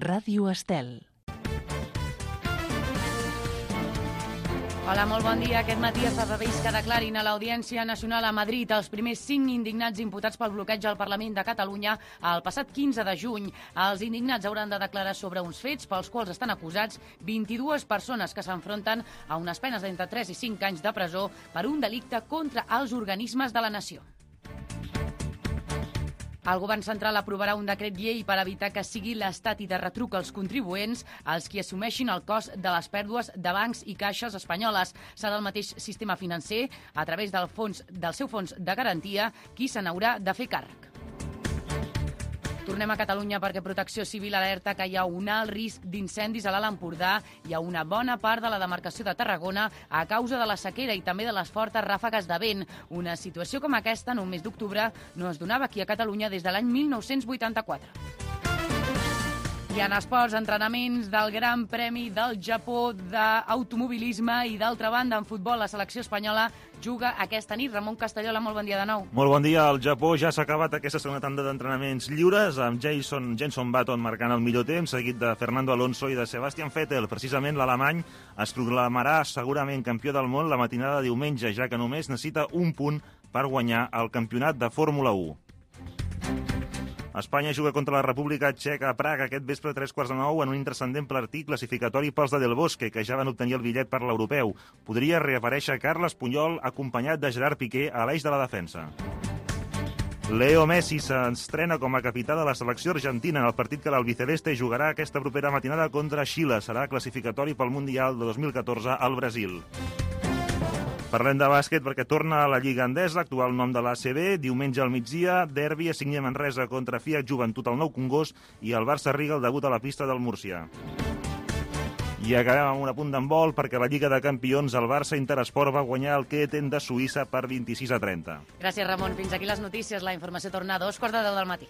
Ràdio Estel. Hola, molt bon dia. Aquest matí es previst que declarin a l'Audiència Nacional a Madrid els primers 5 indignats imputats pel bloqueig al Parlament de Catalunya el passat 15 de juny. Els indignats hauran de declarar sobre uns fets pels quals estan acusats 22 persones que s'enfronten a unes penes d'entre 3 i 5 anys de presó per un delicte contra els organismes de la nació. El govern central aprovarà un decret llei per evitar que sigui l'Estat i de retruc als contribuents els qui assumeixin el cost de les pèrdues de bancs i caixes espanyoles. Serà el mateix sistema financer, a través del seu fons de garantia, qui se n'haurà de fer càrrec. Tornem a Catalunya perquè Protecció Civil alerta que hi ha un alt risc d'incendis a l'Alt Empordà i a una bona part de la demarcació de Tarragona a causa de la sequera i també de les fortes ràfegues de vent. Una situació com aquesta en un mes d'octubre no es donava aquí a Catalunya des de l'any 1984. I en esports, entrenaments del Gran Premi del Japó d'automobilisme i, d'altra banda, en futbol, la selecció espanyola juga aquesta nit. Ramon Castellola, molt bon dia de nou. Molt bon dia. El Japó ja s'ha acabat aquesta segona tanda d'entrenaments lliures, amb Jenson Button marcant el millor temps, seguit de Fernando Alonso i de Sebastian Vettel. Precisament l'alemany es proclamarà segurament campió del món la matinada de diumenge, ja que només necessita un punt per guanyar el campionat de Fórmula 1. Espanya juga contra la República Txeca a Praga aquest vespre a 15:45 en un intranscendent partit classificatori pels de Del Bosque, que ja van obtenir el bitllet per l'europeu. Podria reaparèixer Carles Puyol acompanyat de Gerard Piqué a l'eix de la defensa. Leo Messi s'estrena com a capità de la selecció argentina en el partit que l'albiceleste jugarà aquesta propera matinada contra Xile. Serà classificatori pel Mundial de 2014 al Brasil. Parlem de bàsquet perquè torna a la Lliga Endesa, actual nom de l'ACB. Diumenge al migdia, derbi a Signia Manresa contra Fiat Joventut al Nou Congost i el Barça Riga el debut a la pista del Múrcia. I acabem amb un apunt d'handbol perquè a la Lliga de Campions el Barça Interesport va guanyar el Keten de Suïssa per 26-30. Gràcies, Ramon. Fins aquí les notícies. La informació torna a 2:15 del matí.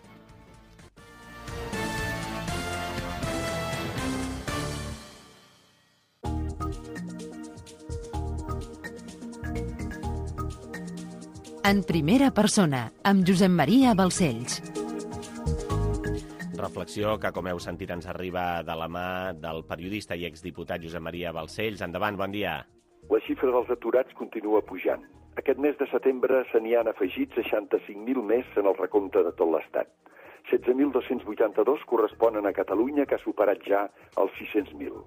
En primera persona, amb Josep Maria Balcells. Reflexió que, com heu sentit, ens arriba de la mà del periodista i exdiputat Josep Maria Balcells. Endavant, bon dia. La xifra dels aturats continua pujant. Aquest mes de setembre se n'hi han afegit 65.000 més en el recompte de tot l'Estat. 16.282 corresponen a Catalunya, que ha superat ja els 600.000.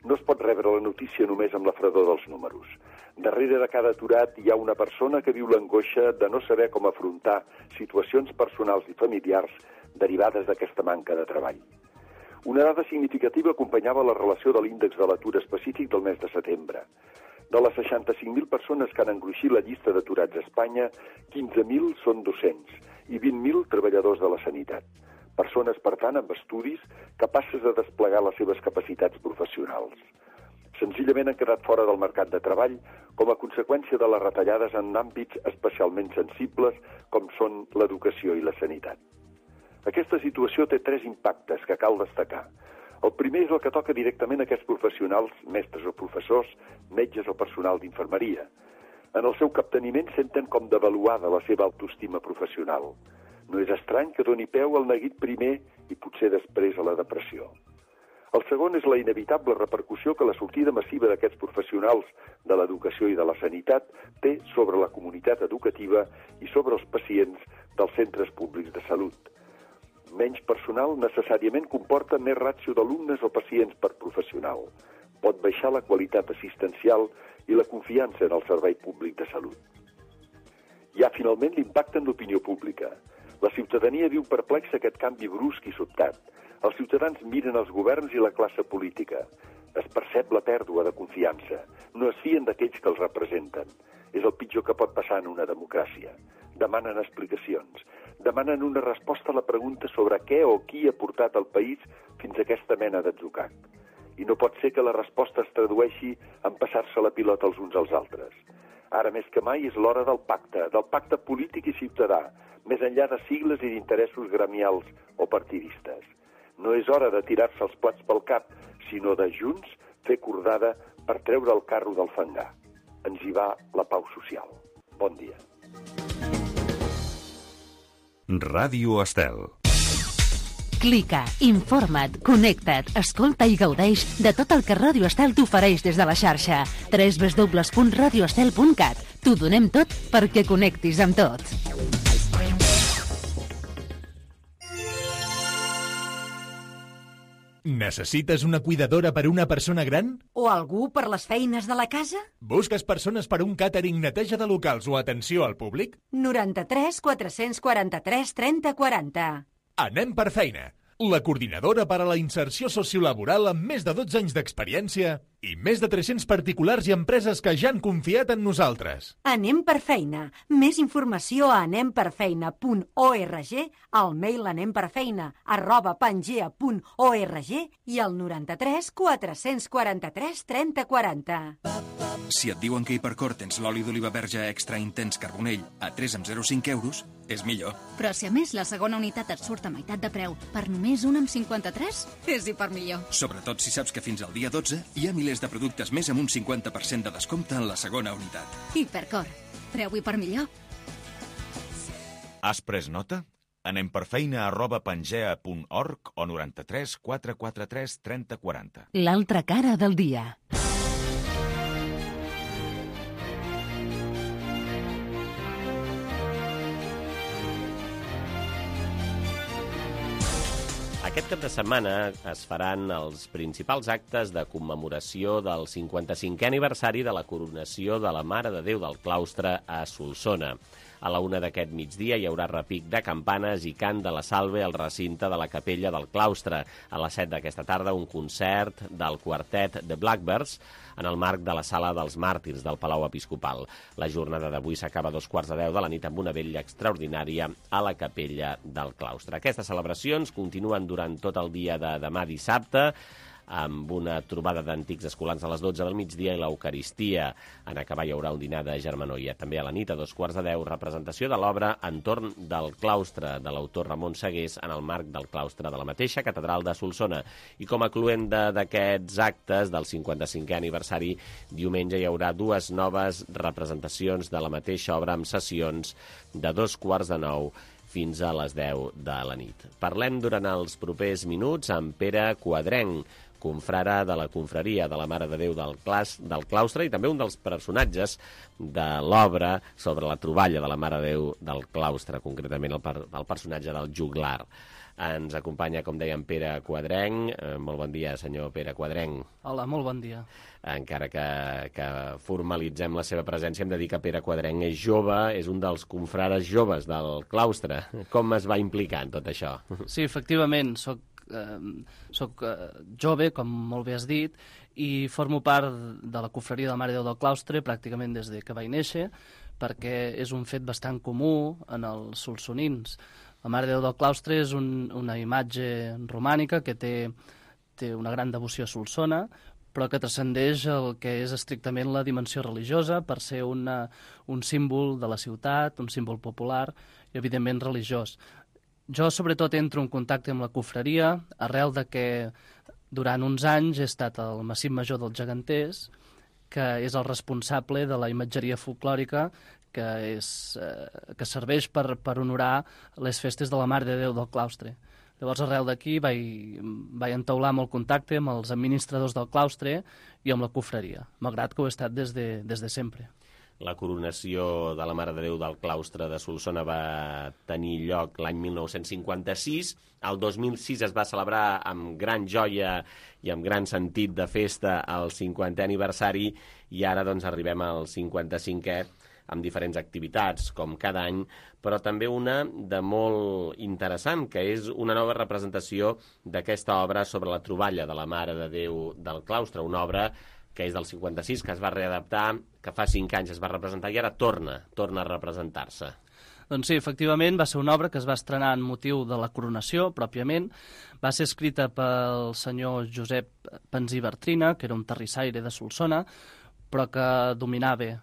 No es pot rebre la notícia només amb la fredor dels números. Darrere de cada aturat hi ha una persona que viu l'angoixa de no saber com afrontar situacions personals i familiars derivades d'aquesta manca de treball. Una dada significativa acompanyava la relació de l'índex de l'atur específic del mes de setembre. De les 65.000 persones que han engruixit la llista d'aturats a Espanya, 15.000 són docents i 20.000 treballadors de la sanitat. Persones, per tant, amb estudis, capaces de desplegar les seves capacitats professionals. Senzillament han quedat fora del mercat de treball com a conseqüència de les retallades en àmbits especialment sensibles com són l'educació i la sanitat. Aquesta situació té 3 impactes que cal destacar. El primer és el que toca directament a aquests professionals, mestres o professors, metges o personal d'infermeria. En el seu capteniment senten com devaluada la seva autoestima professional. No és estrany que doni peu al neguit primer i potser després a la depressió. El segon és la inevitable repercussió que la sortida massiva d'aquests professionals de l'educació i de la sanitat té sobre la comunitat educativa i sobre els pacients dels centres públics de salut. Menys personal necessàriament comporta més ràtio d'alumnes o pacients per professional. Pot baixar la qualitat assistencial i la confiança en el servei públic de salut. Hi ha finalment l'impacte en l'opinió pública. La ciutadania viu perplexa aquest canvi brusc i sobtat. Els ciutadans miren els governs i la classe política. Es percep la pèrdua de confiança. No es fien d'aquells que els representen. És el pitjor que pot passar en una democràcia. Demanen explicacions. Demanen una resposta a la pregunta sobre què o qui ha portat el país fins a aquesta mena d'atzucac. I no pot ser que la resposta es tradueixi en passar-se la pilota els uns als altres. Ara més que mai és l'hora del pacte polític i ciutadà, més enllà de sigles i d'interessos gremials o partidistes. No és hora de tirar-se els plats pel cap, sinó de junts fer cordada per treure el carro del fangar. Ens hi va la pau social. Bon dia. Ràdio Estel. Clica, informa't, connecta't, escolta i gaudeix de tot el que Ràdio Estel t'ofereix des de la xarxa. www.radioestel.cat. T'ho donem tot perquè connectis amb tot. Necessites una cuidadora per a una persona gran? O algú per les feines de la casa? Busques persones per a un càtering, neteja de locals o atenció al públic? 93 443 30 40. Anem per feina. La coordinadora per a la inserció sociolaboral amb més de 12 anys d'experiència i més de 300 particulars i empreses que ja han confiat en nosaltres. Anem per feina. Més informació a anemperfeina.org, al mail anemperfeina@pangea.org i al 93 443 30 40. Si et diuen que a Hipercor tens l'oli d'oliva verge extra intens carbonell a 3,05 euros, és millor. Però si a més la segona unitat et surt a meitat de preu per només 1,53, és hipermillor. Sobretot si saps que fins al dia 12 hi ha milers de productes més amb un 50% de descompte en la segona unitat. Hipercor. Preu hipermillor. Has pres nota? Anem per feina@pangea.org o 93 443 30 40. L'altra cara del dia. Aquest cap de setmana es faran els principals actes de commemoració del 55è aniversari de la coronació de la Mare de Déu del Claustre a Solsona. A la 1 d'aquest migdia hi haurà repic de campanes i cant de la salve al recinte de la capella del claustre. A les 7 d'aquesta tarda, un concert del quartet The Blackbirds en el marc de la Sala dels Màrtirs del Palau Episcopal. La jornada d'avui s'acaba a 2:15 de la nit amb una vetlla extraordinària a la capella del claustre. Aquestes celebracions continuen durant tot el dia de demà dissabte, amb una trobada d'antics escolans a les 12 del migdia i l'Eucaristia. En acabar hi haurà un dinar de germanoia. També a la nit, a 2:15, representació de l'obra Entorn del claustre, de l'autor Ramon Segués, en el marc del claustre de la mateixa catedral de Solsona. I com a cloenda d'aquests actes del 55è aniversari, diumenge hi haurà 2 noves representacions de la mateixa obra amb sessions de 8:45 fins a les 10 de la nit. Parlem durant els propers minuts amb Pere Quadrenc, confrare de la confraria de la Mare de Déu del Claustre i també un dels personatges de l'obra sobre la troballa de la Mare de Déu del Claustre, concretament el personatge del juglar. Ens acompanya, com dèiem, Pere Quadrenc. Molt bon dia, senyor Pere Quadrenc. Hola, molt bon dia. Encara que formalitzem la seva presència, hem de dir que Pere Quadrenc és jove, és un dels confrares joves del claustre. Com es va implicar en tot això? Sí, efectivament, soc jove, com molt bé has dit, i formo part de la confraria de la Mare de Déu del Claustre pràcticament des de que vaig néixer, perquè és un fet bastant comú en els solsonins. La Mare de Déu del Claustre és una imatge romànica que té una gran devoció a Solsona, però que transcendeix el que és estrictament la dimensió religiosa per ser un símbol de la ciutat, un símbol popular i, evidentment, religiós. Jo, sobretot, entro en contacte amb la confraria arrel de que durant uns anys he estat al Massip Major dels Geganters, que és el responsable de la imatgeria folclòrica que serveix per honorar les festes de la Mare de Déu del Claustre. Llavors, arrel d'aquí, vaig entaular molt contacte amb els administradors del claustre i amb la confraria, malgrat que ho he estat des de sempre. La coronació de la Mare de Déu del Claustre de Solsona va tenir lloc l'any 1956. El 2006 es va celebrar amb gran joia i amb gran sentit de festa el 50è aniversari i ara doncs arribem al 55è amb diferents activitats, com cada any, però també una de molt interessant, que és una nova representació d'aquesta obra sobre la troballa de la Mare de Déu del Claustre, una obra que és del 56, que es va readaptar, que fa 5 anys es va representar i ara torna a representar-se. Doncs sí, efectivament, va ser una obra que es va estrenar en motiu de la coronació, pròpiament. Va ser escrita pel senyor Josep Pensí Bartrina, que era un terrissaire de Solsona, però que dominava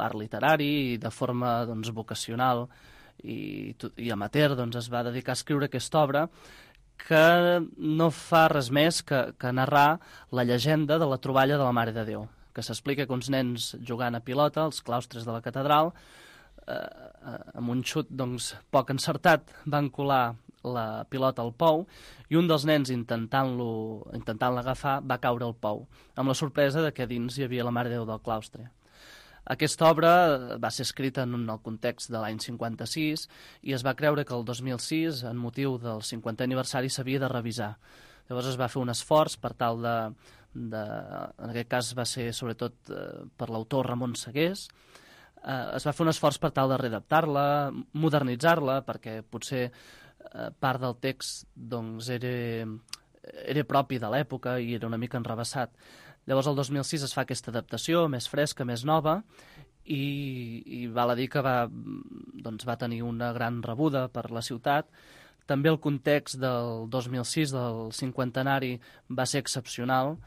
l'art literari i de forma vocacional i amateur es va dedicar a escriure aquesta obra que no fa res més que narrar la llegenda de la troballa de la Mare de Déu, que s'explica que uns nens jugant a pilota als claustres de la catedral amb un xut poc encertat van colar la pilota al pou i un dels nens intentant-la agafar va caure al pou, amb la sorpresa de que dins hi havia la Mare de Déu del Claustre. Aquesta obra va ser escrita en el context de l'any 56 i es va creure que el 2006, en motiu del 50è aniversari, s'havia de revisar. Llavors es va fer un esforç per tal en aquest cas va ser sobretot per l'autor Ramon Segués, es va fer un esforç per tal de readaptar-la, modernitzar-la, perquè potser part del text doncs, era propi de l'època i era una mica enrevessat. Llavors el 2006 es fa aquesta adaptació, més fresca, més nova, i val a dir que va tenir una gran rebuda per la ciutat. També el context del 2006, del cinquantenari, va ser excepcional.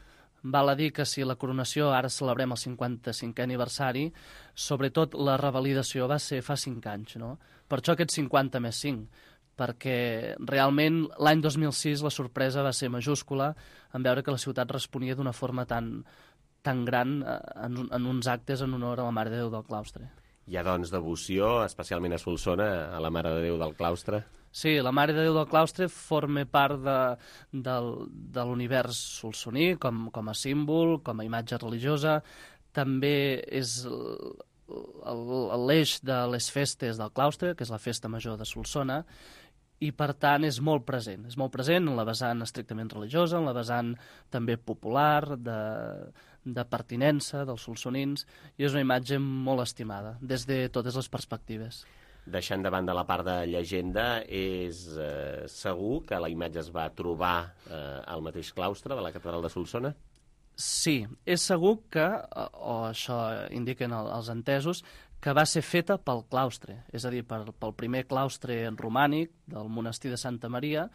Val a dir que si la coronació ara celebrem el 55è aniversari, sobretot la revalidació va ser fa 5 anys, no? Per això aquest 50 més 5, perquè realment l'any 2006 la sorpresa va ser majúscula en veure que la ciutat responia d'una forma tan gran en uns actes en honor a la Mare de Déu del Claustre. Hi ha, doncs, devoció, especialment a Solsona, a la Mare de Déu del Claustre? Sí, la Mare de Déu del Claustre forma part de l'univers solsoní com a símbol, com a imatge religiosa. També és l'eix de les festes del claustre, que és la festa major de Solsona, i per tant és molt present. És molt present en la vessant estrictament religiosa, en la vessant també popular, de pertinença dels solsonins, i és una imatge molt estimada, des de totes les perspectives. Deixant de banda la part de llegenda, és segur que la imatge es va trobar al mateix claustre de la catedral de Solsona? Sí, és segur que, o això indiquen els entesos, que va ser feta pel claustre, és a dir, pel primer claustre romànic del monestir de Santa Maria.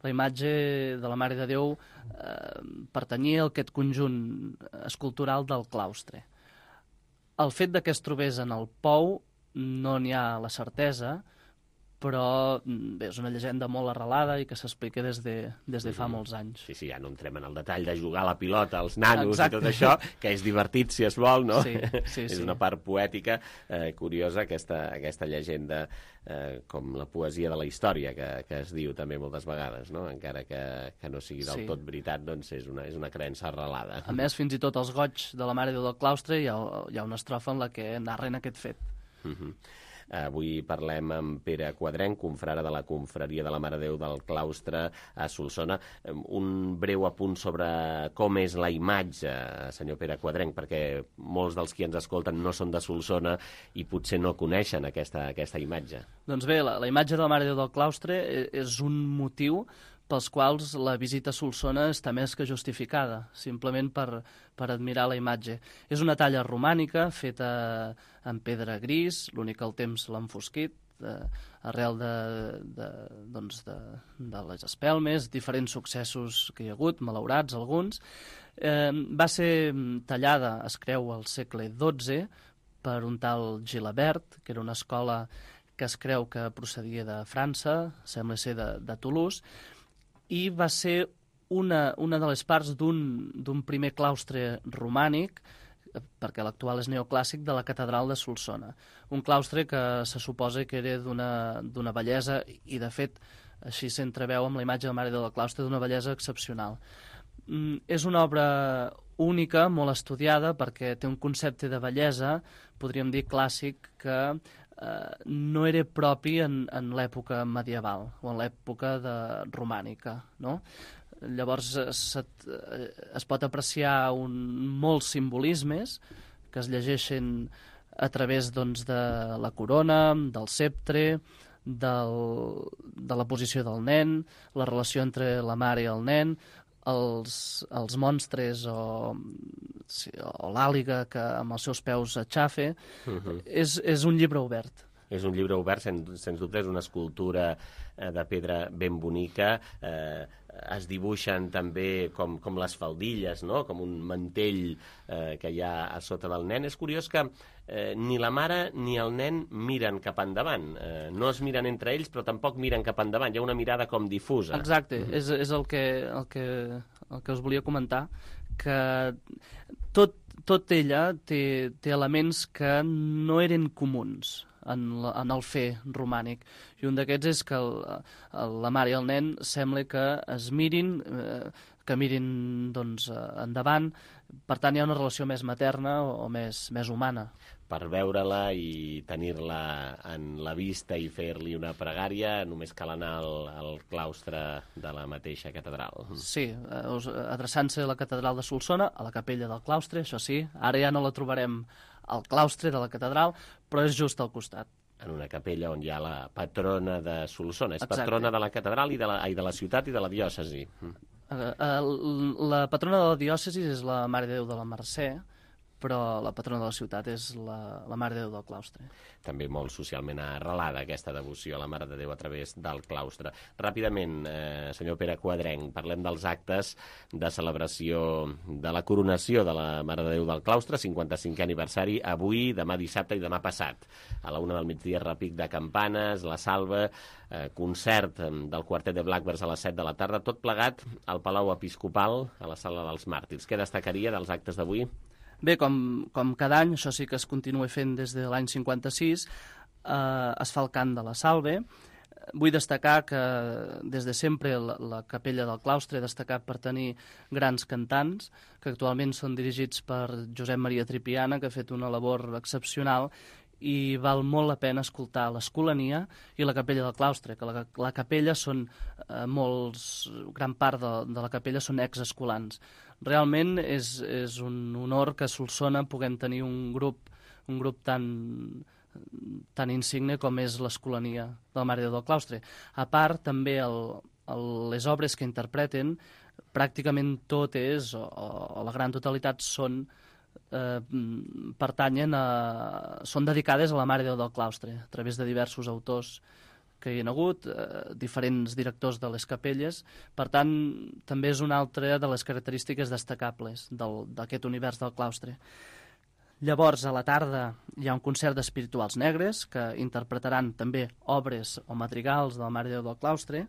La imatge de la Mare de Déu pertanyia a aquest conjunt escultural del claustre. El fet que es trobés en el pou no n'hi ha la certesa, però bé, és una llegenda molt arrelada i que s'explica des de fa molts anys. Sí, ja no entrem en el detall de jugar a la pilota, als nanos. Exacte. I tot això, que és divertit si es vol, no? Sí. És una part poètica curiosa, aquesta llegenda, com la poesia de la història, que es diu també moltes vegades, no? Encara que no sigui del tot veritat, doncs és una creença arrelada. A més, fins i tot els goigs de la Mare de Déu del Claustre hi ha una estrofa en la que narren aquest fet. Avui parlem amb Pere Quadrenc, confrare de la confraria de la Mare de Déu del Claustre a Solsona. Un breu apunt sobre com és la imatge, senyor Pere Quadrenc, perquè molts dels qui ens escolten no són de Solsona i potser no coneixen aquesta imatge. Doncs bé, la imatge de la Mare de Déu del Claustre és un motiu pels quals la visita a Solsona està més que justificada, simplement per admirar la imatge. És una talla romànica feta en pedra gris, l'únic que el temps l'ha enfosquit, arrel de les espelmes, diferents successos que hi ha hagut, malaurats alguns. Va ser tallada, es creu, al segle XII per un tal Gilabert, que era una escola que es creu que procedia de França, sembla ser de Toulouse, i va ser una de les parts d'un primer claustre romànic, perquè l'actual és neoclàssic, de la catedral de Solsona. Un claustre que se suposa que era d'una bellesa, i de fet així s'entreveu amb la imatge de la Mare de Déu del Claustre, d'una bellesa excepcional. És una obra única, molt estudiada, perquè té un concepte de bellesa, podríem dir clàssic, que no era propi en l'època medieval o en l'època romànica, no? Llavors es pot apreciar molts simbolismes que es llegeixen a través de la corona, del ceptre, de la posició del nen, la relació entre la mare i el nen, els monstres o l'àliga que amb els seus peus aixafa. És un llibre obert. És un llibre obert, sens dubte, és una escultura de pedra ben bonica. Es dibuixen també com les faldilles, no? Com un mantell que hi ha a sota del nen. És curiós que ni la mare ni el nen miren cap endavant. No es miren entre ells, però tampoc miren cap endavant. Hi ha una mirada com difusa. Exacte, és el que us volia comentar, que tot ella té elements que no eren comuns en el fer romànic. I un d'aquests és que la mare i el nen sembla que es mirin, doncs, endavant. Per tant, hi ha una relació més materna o més humana. Per veure-la i tenir-la en la vista i fer-li una pregària, només cal anar al claustre de la mateixa catedral. Sí, adreçant-se a la catedral de Solsona, a la capella del claustre, això sí. Ara ja no la trobarem al claustre de la catedral, però és just al costat. En una capella on hi ha la patrona de Solsona. És Exacte. Patrona de la catedral i de la ciutat i de la diòcesi. La patrona de la diòcesi és la Mare de Déu de la Mercè, però la patrona de la ciutat és la Mare de Déu del claustre. També molt socialment arrelada aquesta devoció a la Mare de Déu a través del claustre. Ràpidament, senyor Pere Quadrenc, parlem dels actes de celebració de la coronació de la Mare de Déu del claustre, 55è aniversari, avui, demà dissabte i demà passat. A la 1 del migdia, repic de campanes, la salva, concert del quartet de Blackbirds a les 7 de la tarda, tot plegat al Palau Episcopal, a la Sala dels Màrtirs. Què destacaria dels actes d'avui? Bé, com cada any, això sí que es continua fent des de l'any 56, es fa el cant de la Salve. Vull destacar que des de sempre la capella del claustre ha destacat per tenir grans cantants, que actualment són dirigits per Josep Maria Tripiana, que ha fet una labor excepcional, i val molt la pena escoltar l'Escolania i la capella del claustre, que la capella són gran part de la capella són exescolans. Realment és un honor que a Solsona puguem tenir un grup tan insigne com és l'Escolania de la Mare de Déu del claustre. A part, també les obres que interpreten, pràcticament totes, o la gran totalitat, són dedicades a la Mare de Déu del claustre, a través de diversos autors que hi ha hagut, diferents directors de les capelles. Per tant, també és una altra de les característiques destacables d'aquest univers del claustre. Llavors, a la tarda, hi ha un concert d'espirituals negres que interpretaran també obres o madrigals de la Mare de Déu del claustre,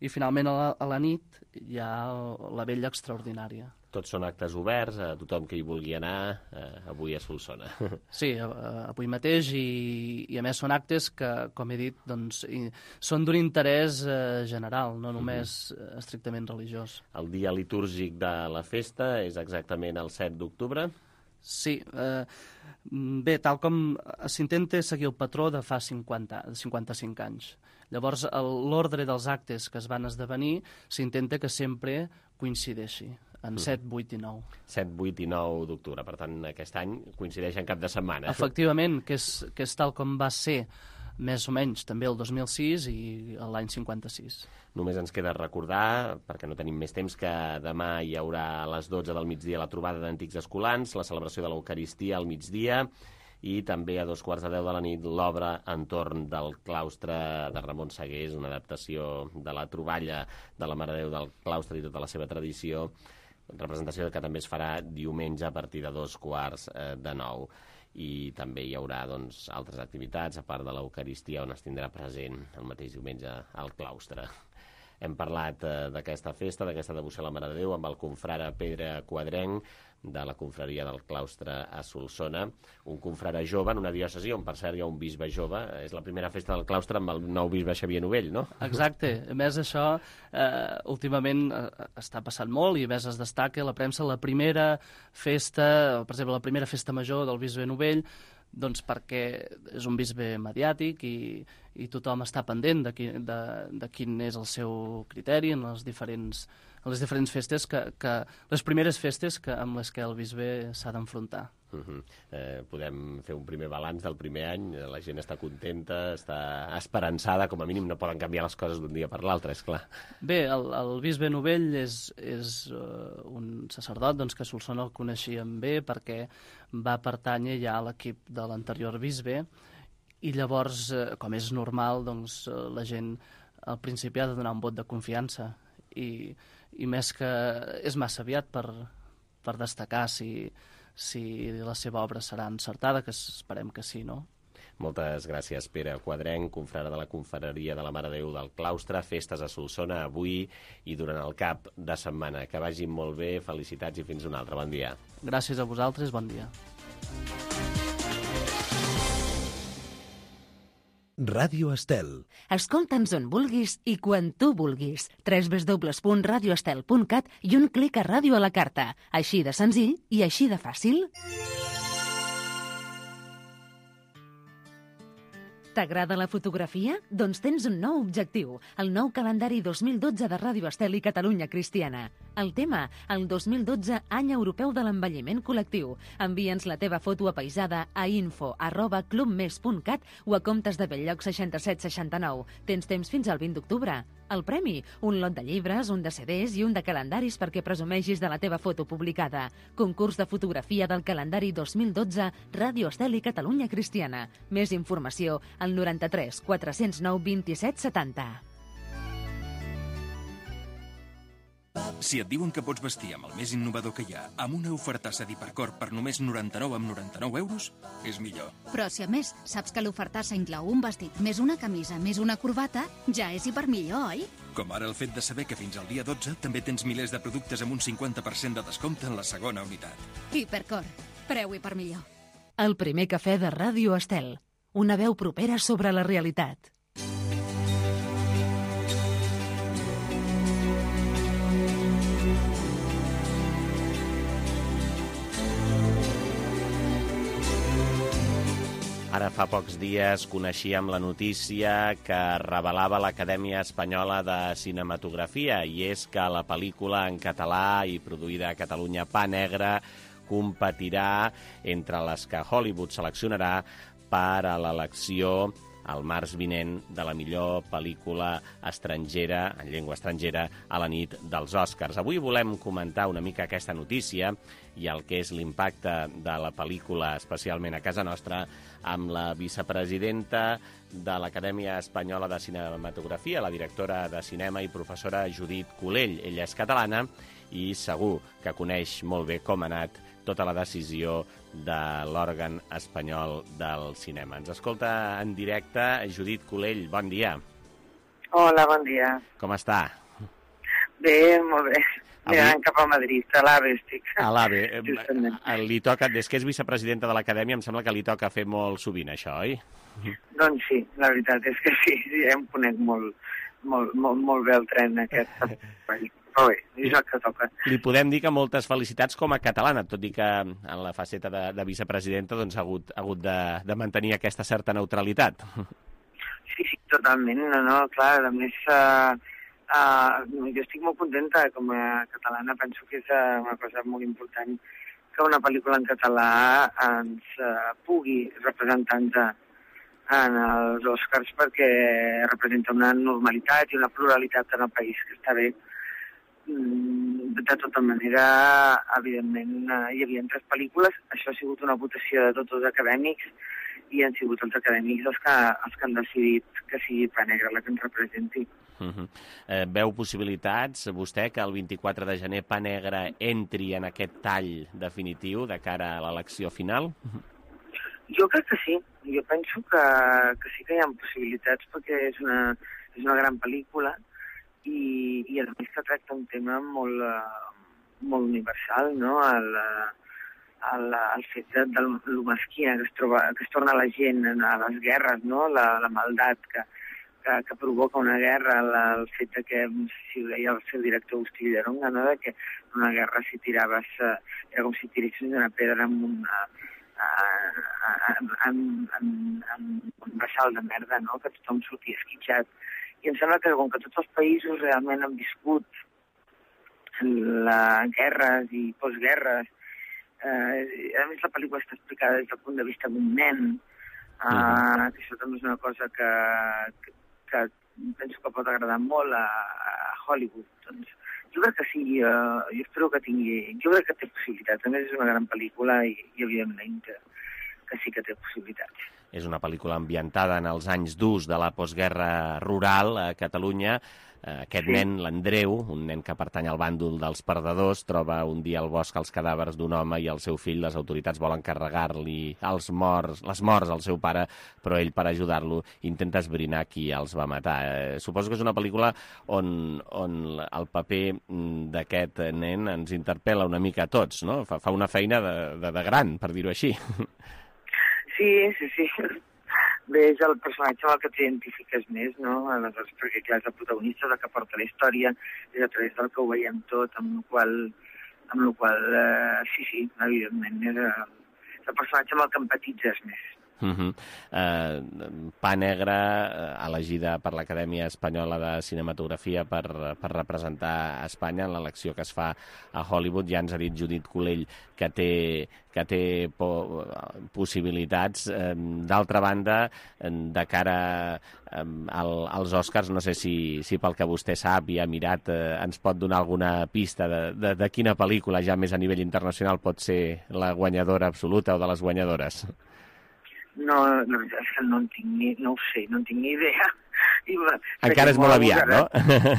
i finalment a la nit hi ha la Vella Extraordinària. Tots són actes oberts a tothom que hi vulgui anar avui a Solsona. Sí, avui mateix, i a més són actes que, com he dit, doncs, són d'un interès general, no només estrictament religiós. El dia litúrgic de la festa és exactament el 7 d'octubre? Sí. Bé, tal com s'intenta seguir el patró de fa 55 anys. Llavors, l'ordre dels actes que es van esdevenir s'intenta que sempre coincideixi en 7, 8 i 9. 7, 8 i 9 d'octubre. Per tant, aquest any coincideix en cap de setmana. Efectivament, que és tal com va ser més o menys també el 2006 i l'any 56. Només ens queda recordar, perquè no tenim més temps, que demà hi haurà a les 12 del migdia la trobada d'antics escolans, la celebració de l'Eucaristia al migdia, i també a 2:15 de la nit l'obra entorn del claustre de Ramon Sagués, una adaptació de la troballa de la Mare de Déu del claustre i tota la seva tradició, representació que també es farà diumenge a partir de 8:45. I també hi haurà doncs, altres activitats, a part de l'Eucaristia, on es tindrà present el mateix diumenge al claustre. Hem parlat d'aquesta festa, d'aquesta devoció a la Mare de Déu, amb el confrare Pere Quadrenc, de la confraria del claustre a Solsona, un confrare jove en una diòcesi on, per cert, hi ha un bisbe jove. És la primera festa del claustre amb el nou bisbe Xavier Novell, no? Exacte. A més, això últimament està passant molt, i a més es destaca a la premsa la primera festa, per exemple, la primera festa major del bisbe Novell, doncs perquè és un bisbe mediàtic i tothom està pendent de quin és el seu criteri en les diferents festes, les primeres festes amb les que el bisbe s'ha d'enfrontar. Podem fer un primer balanç del primer any, la gent està contenta, està esperançada, com a mínim no poden canviar les coses d'un dia per l'altre, és clar. Bé, el bisbe Novell és un sacerdot doncs, que a Solsona el coneixíem bé perquè va pertànyer ja a l'equip de l'anterior bisbe, i llavors, com és normal, doncs, la gent al principi ha de donar un vot de confiança, i més que és massa aviat per destacar si la seva obra serà encertada, que esperem que sí, no? Moltes gràcies, Pere Quadrenc, confrare de la confraria de la Mare de Déu del claustre. Festes a Solsona avui i durant el cap de setmana. Que vagin molt bé, felicitats i fins un altre. Bon dia. Gràcies a vosaltres, bon dia. Ràdio Estel. Escolta'ns on vulguis i quan tu vulguis. www.radioestel.cat i un clic a ràdio a la carta. Així de senzill i així de fàcil. T'agrada la fotografia? Doncs tens un nou objectiu, el nou calendari 2012 de Ràdio Estel i Catalunya Cristiana. El tema, el 2012 Any Europeu de l'Envelliment Col·lectiu. Envia'ns la teva foto apaïsada a info@clubmes.cat o a comptes de Belllloc 6769. Tens temps fins al 20 d'octubre. El premi, un lot de llibres, un de CDs i un de calendaris perquè presumeixis de la teva foto publicada. Concurs de fotografia del calendari 2012 Ràdio Estel i Catalunya Cristiana. Més informació al 93 409 27 70. Si et diuen que pots vestir amb el més innovador que hi ha, amb una ofertassa d'Hipercor per només 99,99 €, és millor. Però si a més saps que l'ofertassa inclou un vestit, més una camisa, més una corbata, ja és hipermillor, oi? Com ara el fet de saber que fins al dia 12 també tens milers de productes amb un 50% de descompte en la segona unitat. Hipercor, preu hipermillor. El primer cafè de Ràdio Estel. Una veu propera sobre la realitat. Ara fa pocs dies coneixíem la notícia que revelava l'Acadèmia Espanyola de Cinematografia, i és que la pel·lícula en català i produïda a Catalunya, Pa Negre, competirà entre les que Hollywood seleccionarà per a l'elecció el març vinent de la millor pel·lícula estrangera, en llengua estrangera, a la nit dels Oscars. Avui volem comentar una mica aquesta notícia i el que és l'impacte de la pel·lícula, especialment a casa nostra, amb la vicepresidenta de l'Acadèmia Espanyola de Cinematografia, la directora de cinema i professora Judit Colell. Ella és catalana i segur que coneix molt bé com ha anat tota la decisió de l'òrgan espanyol del cinema. Ens escolta en directe Judit Colell. Bon dia. Hola, bon dia. Com està? Bé, molt bé. Mirant cap a Madrid, a l'AVE estic. A l'AVE. Li toca, des que és vicepresidenta de l'Acadèmia, em sembla que li toca fer molt sovint això, oi? Doncs sí, la veritat és que sí, em conec molt bé el tren aquest. Però bé, és el que toca. Li podem dir que moltes felicitats com a catalana, tot i que en la faceta de vicepresidenta doncs, ha hagut de mantenir aquesta certa neutralitat. Sí, totalment. No, clar, a més, jo estic molt contenta com a catalana. Penso que és una cosa molt important que una pel·lícula en català ens pugui representar en els Oscars, perquè representa una normalitat i una pluralitat en el país que està bé. De tota manera, evidentment, hi havia 3 pel·lícules. Això ha sigut una votació de tots els acadèmics i han sigut els acadèmics els que han decidit que sigui Pa Negre la que ens representi. Veu possibilitats, vostè, que el 24 de gener Pa Negre entri en aquest tall definitiu de cara a l'elecció final? Jo crec que sí. Jo penso que sí que hi ha possibilitats, perquè és una gran pel·lícula i a més que tracta un tema molt universal, no? El fet de lo mesquina que es torna la gent a les guerres, no? La maldat que provoca una guerra, el fet que, si ho deia el seu director Agustí Villaronga, no? De que una guerra si tiraves, era com si tiressis una pedra amb un bassal de merda, no? Que tothom sortia esquitxat. I em sembla que com que tots els països realment han viscut guerres i postguerres, a més la pel·lícula està explicada des del punt de vista d'un nen, que això també és una cosa que penso que pot agradar molt a Hollywood. Doncs jo crec que sí, jo espero que tingui... Jo crec que té possibilitats. A més, és una gran pel·lícula i evidentment que sí que té possibilitats. És una pel·lícula ambientada en els anys durs de la postguerra rural a Catalunya. Aquest nen, l'Andreu, un nen que pertany al bàndol dels perdedors, troba un dia al bosc els cadàvers d'un home i el seu fill, les autoritats volen carregar-li les morts al seu pare, però ell, per ajudar-lo, intenta esbrinar qui els va matar. Suposo que és una pel·lícula on el paper d'aquest nen ens interpel·la una mica a tots, no? Fa una feina de gran, per dir-ho així. Sí. Bé, és el personatge amb el que t'identifiques més, no? Aleshores, perquè clar, és el protagonista, el que porta la història, és a través del que ho veiem tot, amb el qual sí, evidentment, és el personatge amb el que empatitzes més. Pa Negre, elegida per l'Acadèmia Espanyola de Cinematografia per representar Espanya en l'elecció que es fa a Hollywood. Ja ens ha dit Judit Colell que té possibilitats. D'altra banda, de cara als Oscars, no sé si pel que vostè sap i ha mirat ens pot donar alguna pista de quina pel·lícula ja més a nivell internacional pot ser la guanyadora absoluta o de les guanyadores. No, la veritat és que no en tinc ni idea. Encara és molt aviat, no?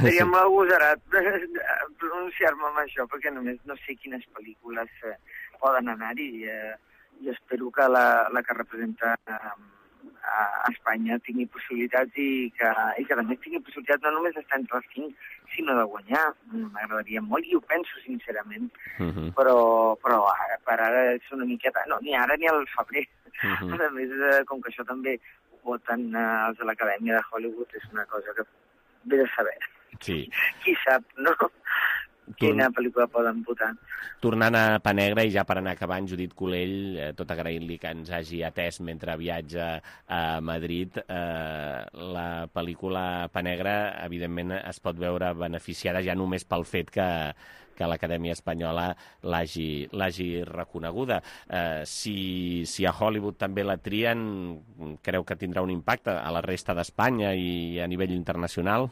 Seria molt agosarat pronunciar-me amb això, perquè només no sé quines pel·lícules poden anar-hi i espero que la que representa a Espanya tingui possibilitats i que a més tingui possibilitats no només d'estar entre els 5, sinó de guanyar. M'agradaria molt i ho penso sincerament, però ara, per ara és una miqueta... No, ni ara ni al febrer. A més, com que això també ho voten els de l'Acadèmia de Hollywood, és una cosa que ve de saber. Sí. Qui sap, no? Quina pel·lícula poden votar. Tornant a Pa Negre, i ja per anar acabant, Judit Colell, tot agraint-li que ens hagi atès mentre viatja a Madrid, la pel·lícula Pa Negre, evidentment, es pot veure beneficiada ja només pel fet que l'Acadèmia Espanyola l'hagi reconeguda. Si a Hollywood també la trien, creu que tindrà un impacte a la resta d'Espanya i a nivell internacional?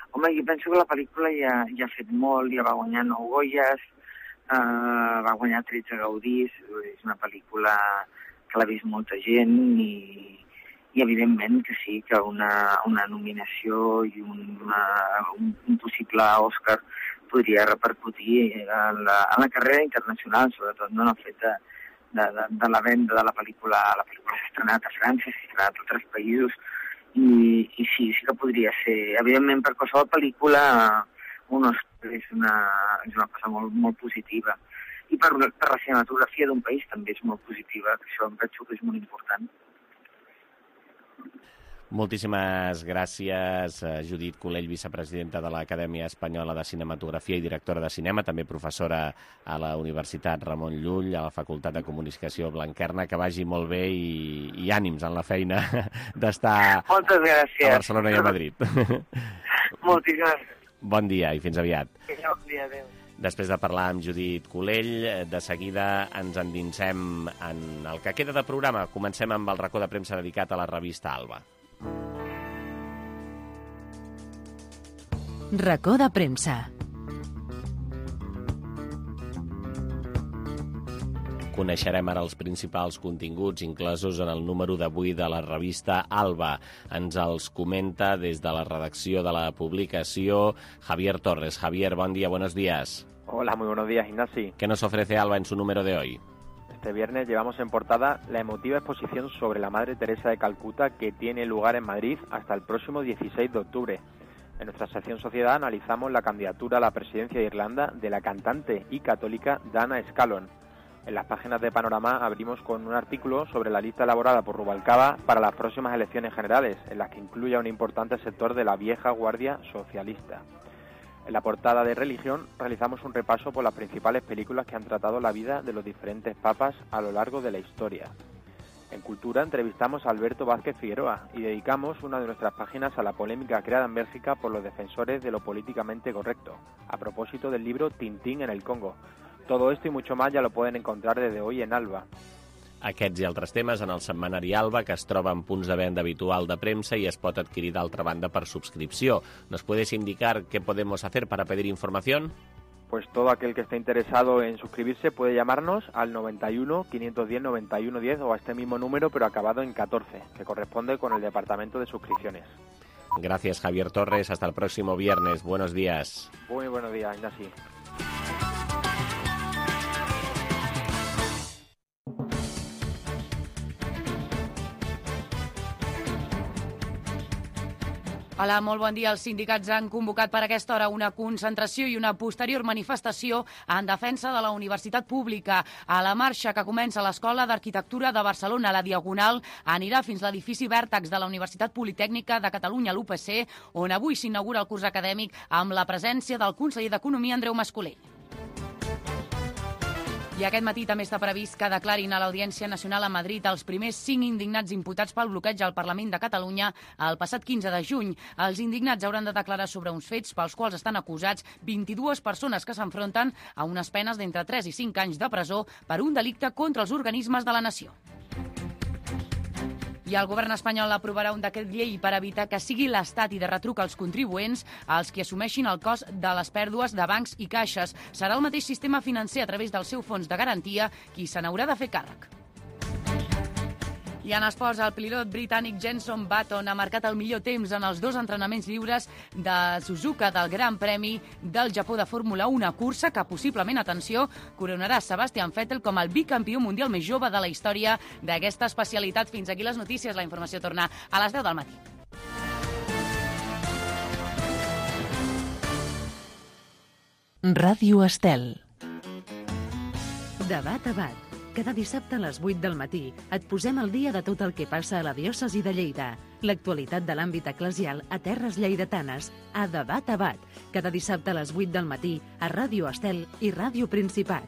Home, jo penso que la pel·lícula ja ha fet molt, ja va guanyar 9 Goyes, va guanyar 13 Gaudís, és una pel·lícula que l'ha vist molta gent i evidentment que sí, que una nominació i un possible Òscar podria repercutir en la carrera internacional, sobretot no en el fet de la venda de la pel·lícula. La pel·lícula s'ha estrenat a França, s'ha estrenat a altres països, i sí que podria ser. Evidentment, per qualsevol pel·lícula, un Òscar és una cosa molt, molt positiva. I per la cinematografia d'un país també és molt positiva, que això em penso que és molt important. Moltíssimes gràcies, Judit Colell, vicepresidenta de l'Acadèmia Espanyola de Cinematografia i directora de cinema, també professora a la Universitat Ramon Llull, a la Facultat de Comunicació Blanquerna. Que vagi molt bé i ànims en la feina d'estar a Barcelona i a Madrid. Moltíssimes gràcies. Bon dia i fins aviat. Bon dia, adéu. Després de parlar amb Judit Colell, de seguida ens endinsem en el que queda de programa. Comencem amb el racó de premsa dedicat a la revista Alba. Racó de premsa. Coneixerem ara els principals continguts inclosos en el número d'avui de la revista Alba. Ens els comenta des de la redacció de la publicació Javier Torres. Javier, bon día, buenos días. Hola, muy buenos días, Ignasi. ¿Qué nos ofrece Alba en su número de hoy? Este viernes llevamos en portada la emotiva exposición sobre la Madre Teresa de Calcuta que tiene lugar en Madrid hasta el próximo 16 de octubre. En nuestra sección Sociedad analizamos la candidatura a la presidencia de Irlanda de la cantante y católica Dana Scallon. En las páginas de Panorama abrimos con un artículo sobre la lista elaborada por Rubalcaba para las próximas elecciones generales, en las que incluye a un importante sector de la vieja guardia socialista. En la portada de Religión realizamos un repaso por las principales películas que han tratado la vida de los diferentes papas a lo largo de la historia. En Cultura entrevistamos a Alberto Vázquez Figueroa y dedicamos una de nuestras páginas a la polémica creada en Bélgica por los defensores de lo políticamente correcto, a propósito del libro Tintín en el Congo. Todo esto y mucho más ya lo pueden encontrar desde hoy en Alba. Aquests i altres temes en el setmanari Alba, que es troba en punts de venda habitual de premsa y es pot adquirir d'altra banda per subscripció. ¿Nos puedes indicar qué podemos hacer para pedir información? Pues todo aquel que esté interesado en suscribirse puede llamarnos al 91 510 91 10 o a este mismo número pero acabado en 14, que corresponde con el departamento de suscripciones. Gracias, Javier Torres. Hasta el próximo viernes. Buenos días. Muy buenos días, Ignasi. Hola, molt bon dia. Els sindicats han convocat per aquesta hora una concentració i una posterior manifestació en defensa de la universitat pública. A la marxa que comença a l'Escola d'Arquitectura de Barcelona, la Diagonal, anirà fins l'edifici Vèrtex de la Universitat Politècnica de Catalunya, l'UPC, on avui s'inaugura el curs acadèmic amb la presència del conseller d'Economia, Andreu Mas-Colell. I aquest matí també està previst que declarin a l'Audiència Nacional a Madrid els primers 5 indignats imputats pel bloqueig al Parlament de Catalunya el passat 15 de juny. Els indignats hauran de declarar sobre uns fets pels quals estan acusats 22 persones que s'enfronten a unes penes d'entre 3 i 5 anys de presó per un delicte contra els organismes de la nació. I el govern espanyol aprovarà un decret llei per evitar que sigui l'Estat i de retruc als contribuents els que assumeixin el cost de les pèrdues de bancs i caixes. Serà el mateix sistema financer a través del seu fons de garantia qui se n'haurà de fer càrrec. I en esports, el pilot britànic Jenson Button ha marcat el millor temps en els 2 entrenaments lliures de Suzuka del Gran Premi del Japó de Fórmula 1, una cursa que possiblement, atenció, coronarà Sebastian Vettel com el bicampió mundial més jove de la història d'aquesta especialitat. Fins aquí les notícies. La informació torna a les 10 del matí. Ràdio Estel. Debat a bat. Cada dissabte a les 8 del matí et posem al dia de tot el que passa a la diòcesi de Lleida. L'actualitat de l'àmbit eclesial a terres lleidatanes a Debat a Bat. Cada dissabte a les 8 del matí a Ràdio Estel i Ràdio Principat.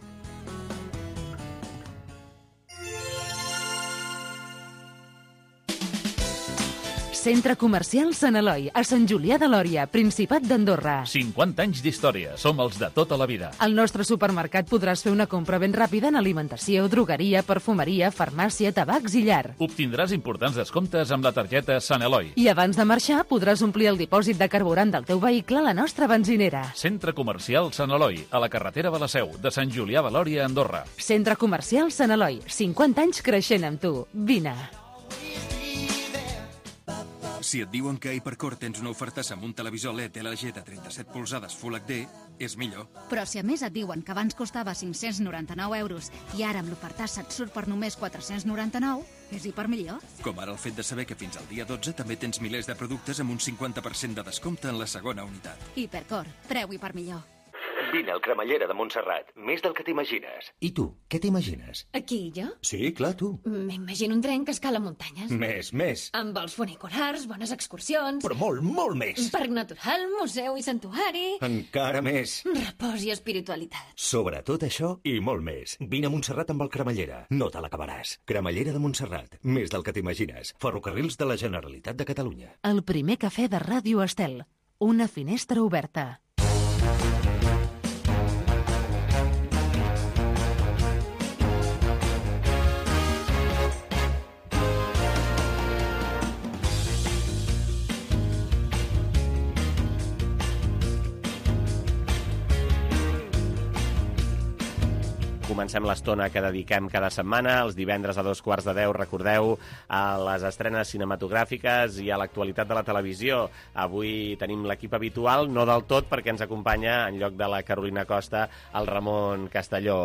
Centre Comercial Sant Eloi, a Sant Julià de Lòria, Principat d'Andorra. 50 anys d'història. Som els de tota la vida. Al nostre supermercat podràs fer una compra ben ràpida en alimentació, drogueria, perfumeria, farmàcia, tabacs i llar. Obtindràs importants descomptes amb la targeta Sant Eloi. I abans de marxar podràs omplir el dipòsit de carburant del teu vehicle a la nostra benzinera. Centre Comercial Sant Eloi, a la carretera de la Seu, de Sant Julià de Lòria, Andorra. Centre Comercial Sant Eloi, 50 anys creixent amb tu. Vine. Si et diuen que a Hipercor tens una ofertassa amb un televisor LED LG de 37 polzades Full HD, és millor. Però si a més et diuen que abans costava 599 euros i ara amb l'ofertassa et surt per només 499, és Hipermillor. Com ara el fet de saber que fins al dia 12 també tens milers de productes amb un 50% de descompte en la segona unitat. Hipercor, preu Hipermillor. Vine al Cremallera de Montserrat, més del que t'imagines. I tu, què t'imagines? Aquí, jo? Sí, clar, tu. M'imagino un tren que escala muntanyes. Més. Amb vols funiculars, bones excursions... Però molt més. Parc natural, museu i santuari... Encara més. Repòs i espiritualitat. Sobretot això i molt més. Vine a Montserrat amb el Cremallera. No te l'acabaràs. Cremallera de Montserrat, més del que t'imagines. Ferrocarrils de la Generalitat de Catalunya. El primer cafè de Ràdio Estel. Una finestra oberta. Comencem l'estona que dediquem cada setmana, els divendres a 9:15, recordeu, a les estrenes cinematogràfiques i a l'actualitat de la televisió. Avui tenim l'equip habitual, no del tot, perquè ens acompanya, en lloc de la Carolina Costa, el Ramon Castelló,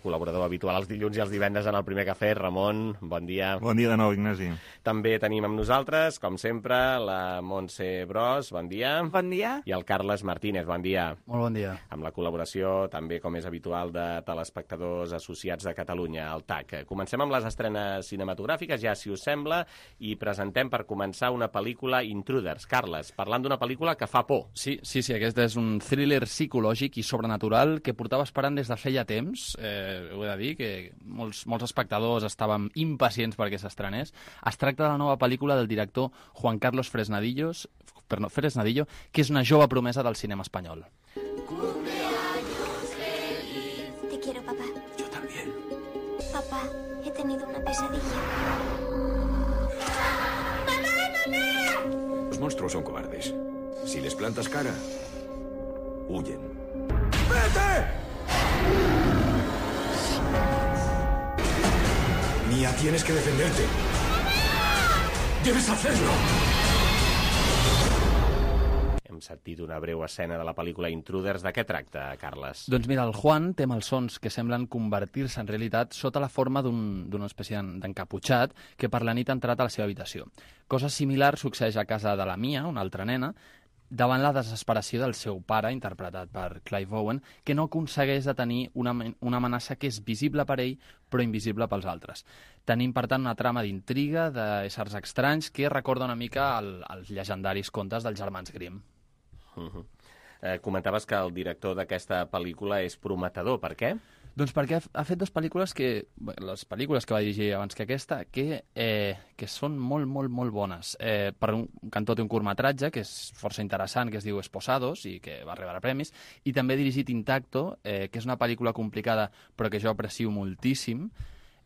col·laborador habitual els dilluns i els divendres en el primer cafè. Ramon, bon dia. Bon dia de nou, Ignasi. També tenim amb nosaltres, com sempre, la Montse Bros, bon dia. Bon dia. I el Carles Martínez, bon dia. Molt bon dia. Amb la col·laboració, també com és habitual, de telespectadors associats de Catalunya, el TAC. Comencem amb les estrenes cinematogràfiques, ja si us sembla, i presentem per començar una pel·lícula, Intruders. Carles, parlant d'una pel·lícula que fa por. Sí, aquest és un thriller psicològic i sobrenatural que portava esperant des de feia temps. Ho he de dir, que molts espectadors estàvem impacients perquè s'estrenés. Es tracta de la nova pel·lícula del director Juan Carlos Fresnadillo, que és una jove promesa del cinema espanyol. Te quiero, papá. Yo también. Papá, he tenido una pesadilla. Los monstruos son cobardes. Si les plantas cara, huyen. ¡Vete! Mía, tienes que defenderte. ¡Debes hacerlo! sentit una breu escena de la pel·lícula Intruders. De què tracta, Carles? Doncs mira, el Juan té malsons que semblen convertir-se en realitat sota la forma d'una espècie d'encaputxat que per la nit ha entrat a la seva habitació. Cosa similar succeeix a casa de la Mia, una altra nena, davant la desesperació del seu pare, interpretat per Clive Owen, que no aconsegueix detenir una amenaça que és visible per ell, però invisible pels altres. Tenim, per tant, una trama d'intriga, d'éssers estranys, que recorda una mica els llegendaris contes dels germans Grimm. Comentaves que el director d'aquesta pel·lícula és prometedor. Per què? Doncs perquè ha fet dues pel·lícules les pel·lícules que va dirigir abans que aquesta, que són molt, molt, molt bones. Per un cantó té un curtmetratge que és força interessant, que es diu Esposados, i que va rebre premis, i també ha dirigit Intacto, que és una pel·lícula complicada, però que jo aprecio moltíssim,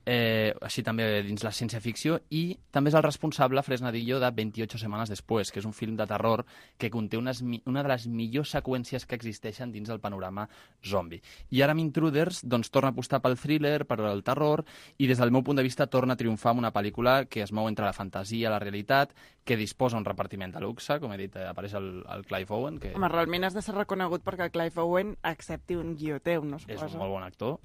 així també dins la ciència-ficció, i també és el responsable, Fresnadillo, de 28 setmanes després, que és un film de terror que conté una de les millors seqüències que existeixen dins del panorama zombi. I ara amb Intruders doncs, torna a apostar pel thriller, per el terror, i des del meu punt de vista torna a triomfar amb una pel·lícula que es mou entre la fantasia i la realitat, que disposa un repartiment de luxe, com he dit, apareix el Clive Owen. Que... Home, realment has de ser reconegut perquè el Clive Owen accepti un guió teu, no suposo? És un molt bon actor.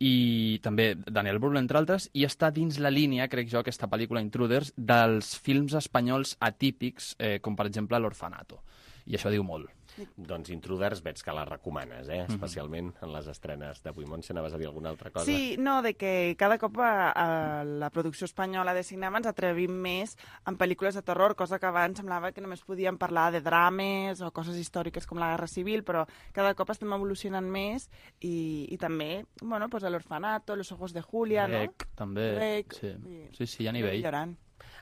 I també Daniel Brühl, entre altres, i està dins la línia, crec jo, aquesta pel·lícula Intruders, dels films espanyols atípics, com per exemple L'Orfanato. I això diu molt. Doncs Intruders veig que la recomanes, especialment en les estrenes d'avui. Montse, anaves a dir alguna altra cosa? Sí, no, de que cada cop a la producció espanyola de cinema ens atrevim més en pel·lícules de terror, cosa que abans semblava que només podíem parlar de drames o coses històriques com la Guerra Civil, però cada cop estem evolucionant més i també, bueno, pues L'Orfanato, Los ojos de Julia, Rec, no? també. Rec, sí, hi ha nivell. Millorant.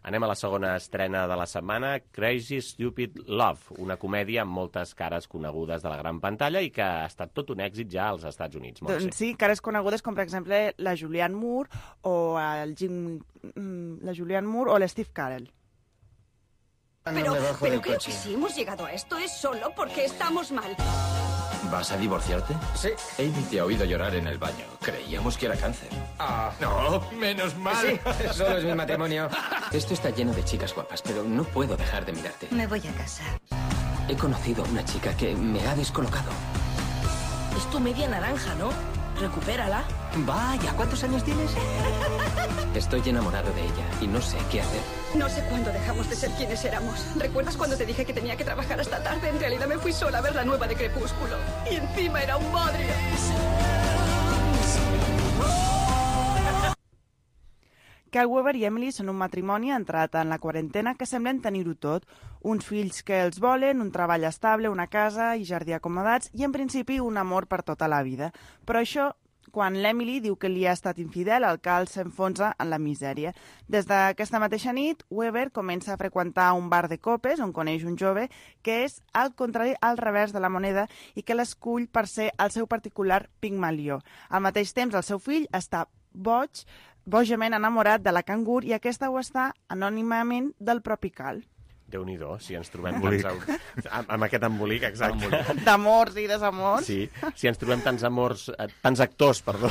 Anem a la segona estrena de la setmana, Crazy Stupid Love, una comèdia amb moltes cares conegudes de la gran pantalla i que ha estat tot un èxit ja als Estats Units. Doncs sí, cares conegudes com, per exemple, la Julianne Moore o la Julianne Moore o l'Steve Carell. Pero creo que sí, hemos llegado a esto es solo porque estamos mal. ¿Vas a divorciarte? Sí. Amy te ha oído llorar en el baño. Creíamos que era cáncer. Ah, no, menos mal. Sí, solo es mi matrimonio. Esto está lleno de chicas guapas, pero no puedo dejar de mirarte. Me voy a casa. He conocido a una chica que me ha descolocado. Es tu media naranja, ¿no? Recupérala. Vaya, ¿cuántos años tienes? Estoy enamorado de ella y no sé qué hacer. No sé cuándo dejamos de ser quienes éramos. ¿Recuerdas cuando te dije que tenía que trabajar hasta tarde? En realidad me fui sola a ver la nueva de Crepúsculo. Y encima era un bodrio. Kyle Weber i Emily són un matrimoni entrat en la quarantena que semblen tenir-ho tot. Uns fills que els volen, un treball estable, una casa i jardí acomodats i, en principi, un amor per tota la vida. Però això, quan l'Emily diu que li ha estat infidel, el Kyle s'enfonsa en la misèria. Des d'aquesta mateixa nit, Weber comença a freqüentar un bar de copes on coneix un jove que és al contrari, al revers de la moneda i que l'escull per ser el seu particular Pigmalió. Al mateix temps, el seu fill està bojament enamorat de la cangur i aquesta ho està anònimament del propi Cal. Déu-n'hi-do, si ens trobem amb aquest embolic, exacte. D'amors i desamors. Sí, si ens trobem tants actors, perdó,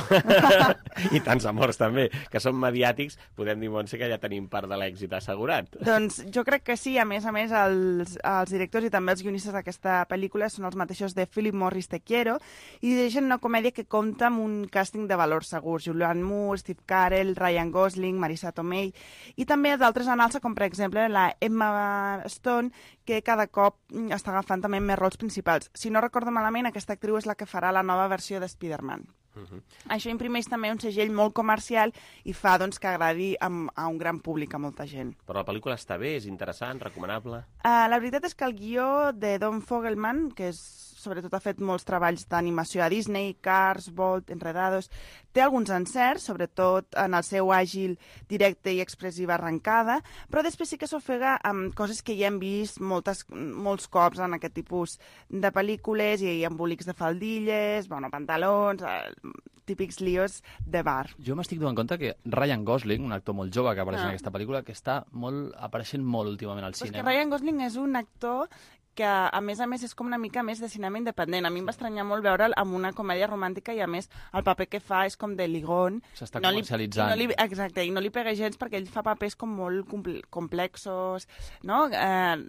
i tants amors també, que són mediàtics, podem dir, Montse, que ja tenim part de l'èxit assegurat. Doncs jo crec que sí, a més, els directors i també els guionistes d'aquesta pel·lícula són els mateixos de Philip Morris Te Quiero i dirigeixen una comèdia que compta amb un càsting de valors segurs. Julianne Moore, Steve Carell, Ryan Gosling, Marisa Tomei i també d'altres en alça, com per exemple la Emma Stone, que cada cop està agafant també més rols principals. Si no recordo malament, aquesta actriu és la que farà la nova versió de Spider-Man. Això imprimeix també un segell molt comercial i fa doncs, que agradi a un gran públic, a molta gent. Però la pel·lícula està bé, és interessant, recomanable? La veritat és que el guió de Don Fogelman, que sobretot ha fet molts treballs d'animació a Disney, Cars, Bolt, Enredados, té alguns encerts, sobretot en el seu àgil, directe i expressiva arrencada, però després sí que s'ofega amb coses que ja hem vist molts cops en aquest tipus de pel·lícules i embolics de faldilles, pantalons, típics líos de bar. Jo m'estic donant compte que Ryan Gosling, un actor molt jove que apareix en aquesta pel·lícula, que està apareixent molt últimament al cinema. Que Ryan Gosling és un actor que a més és com una mica més de cinema independent. A mi em va estranyar molt veure'l amb una comèdia romàntica i a més el paper que fa és com de ligón. S'està comercialitzant. Exacte, i no li pega gens perquè ell fa papers com molt complexos, no?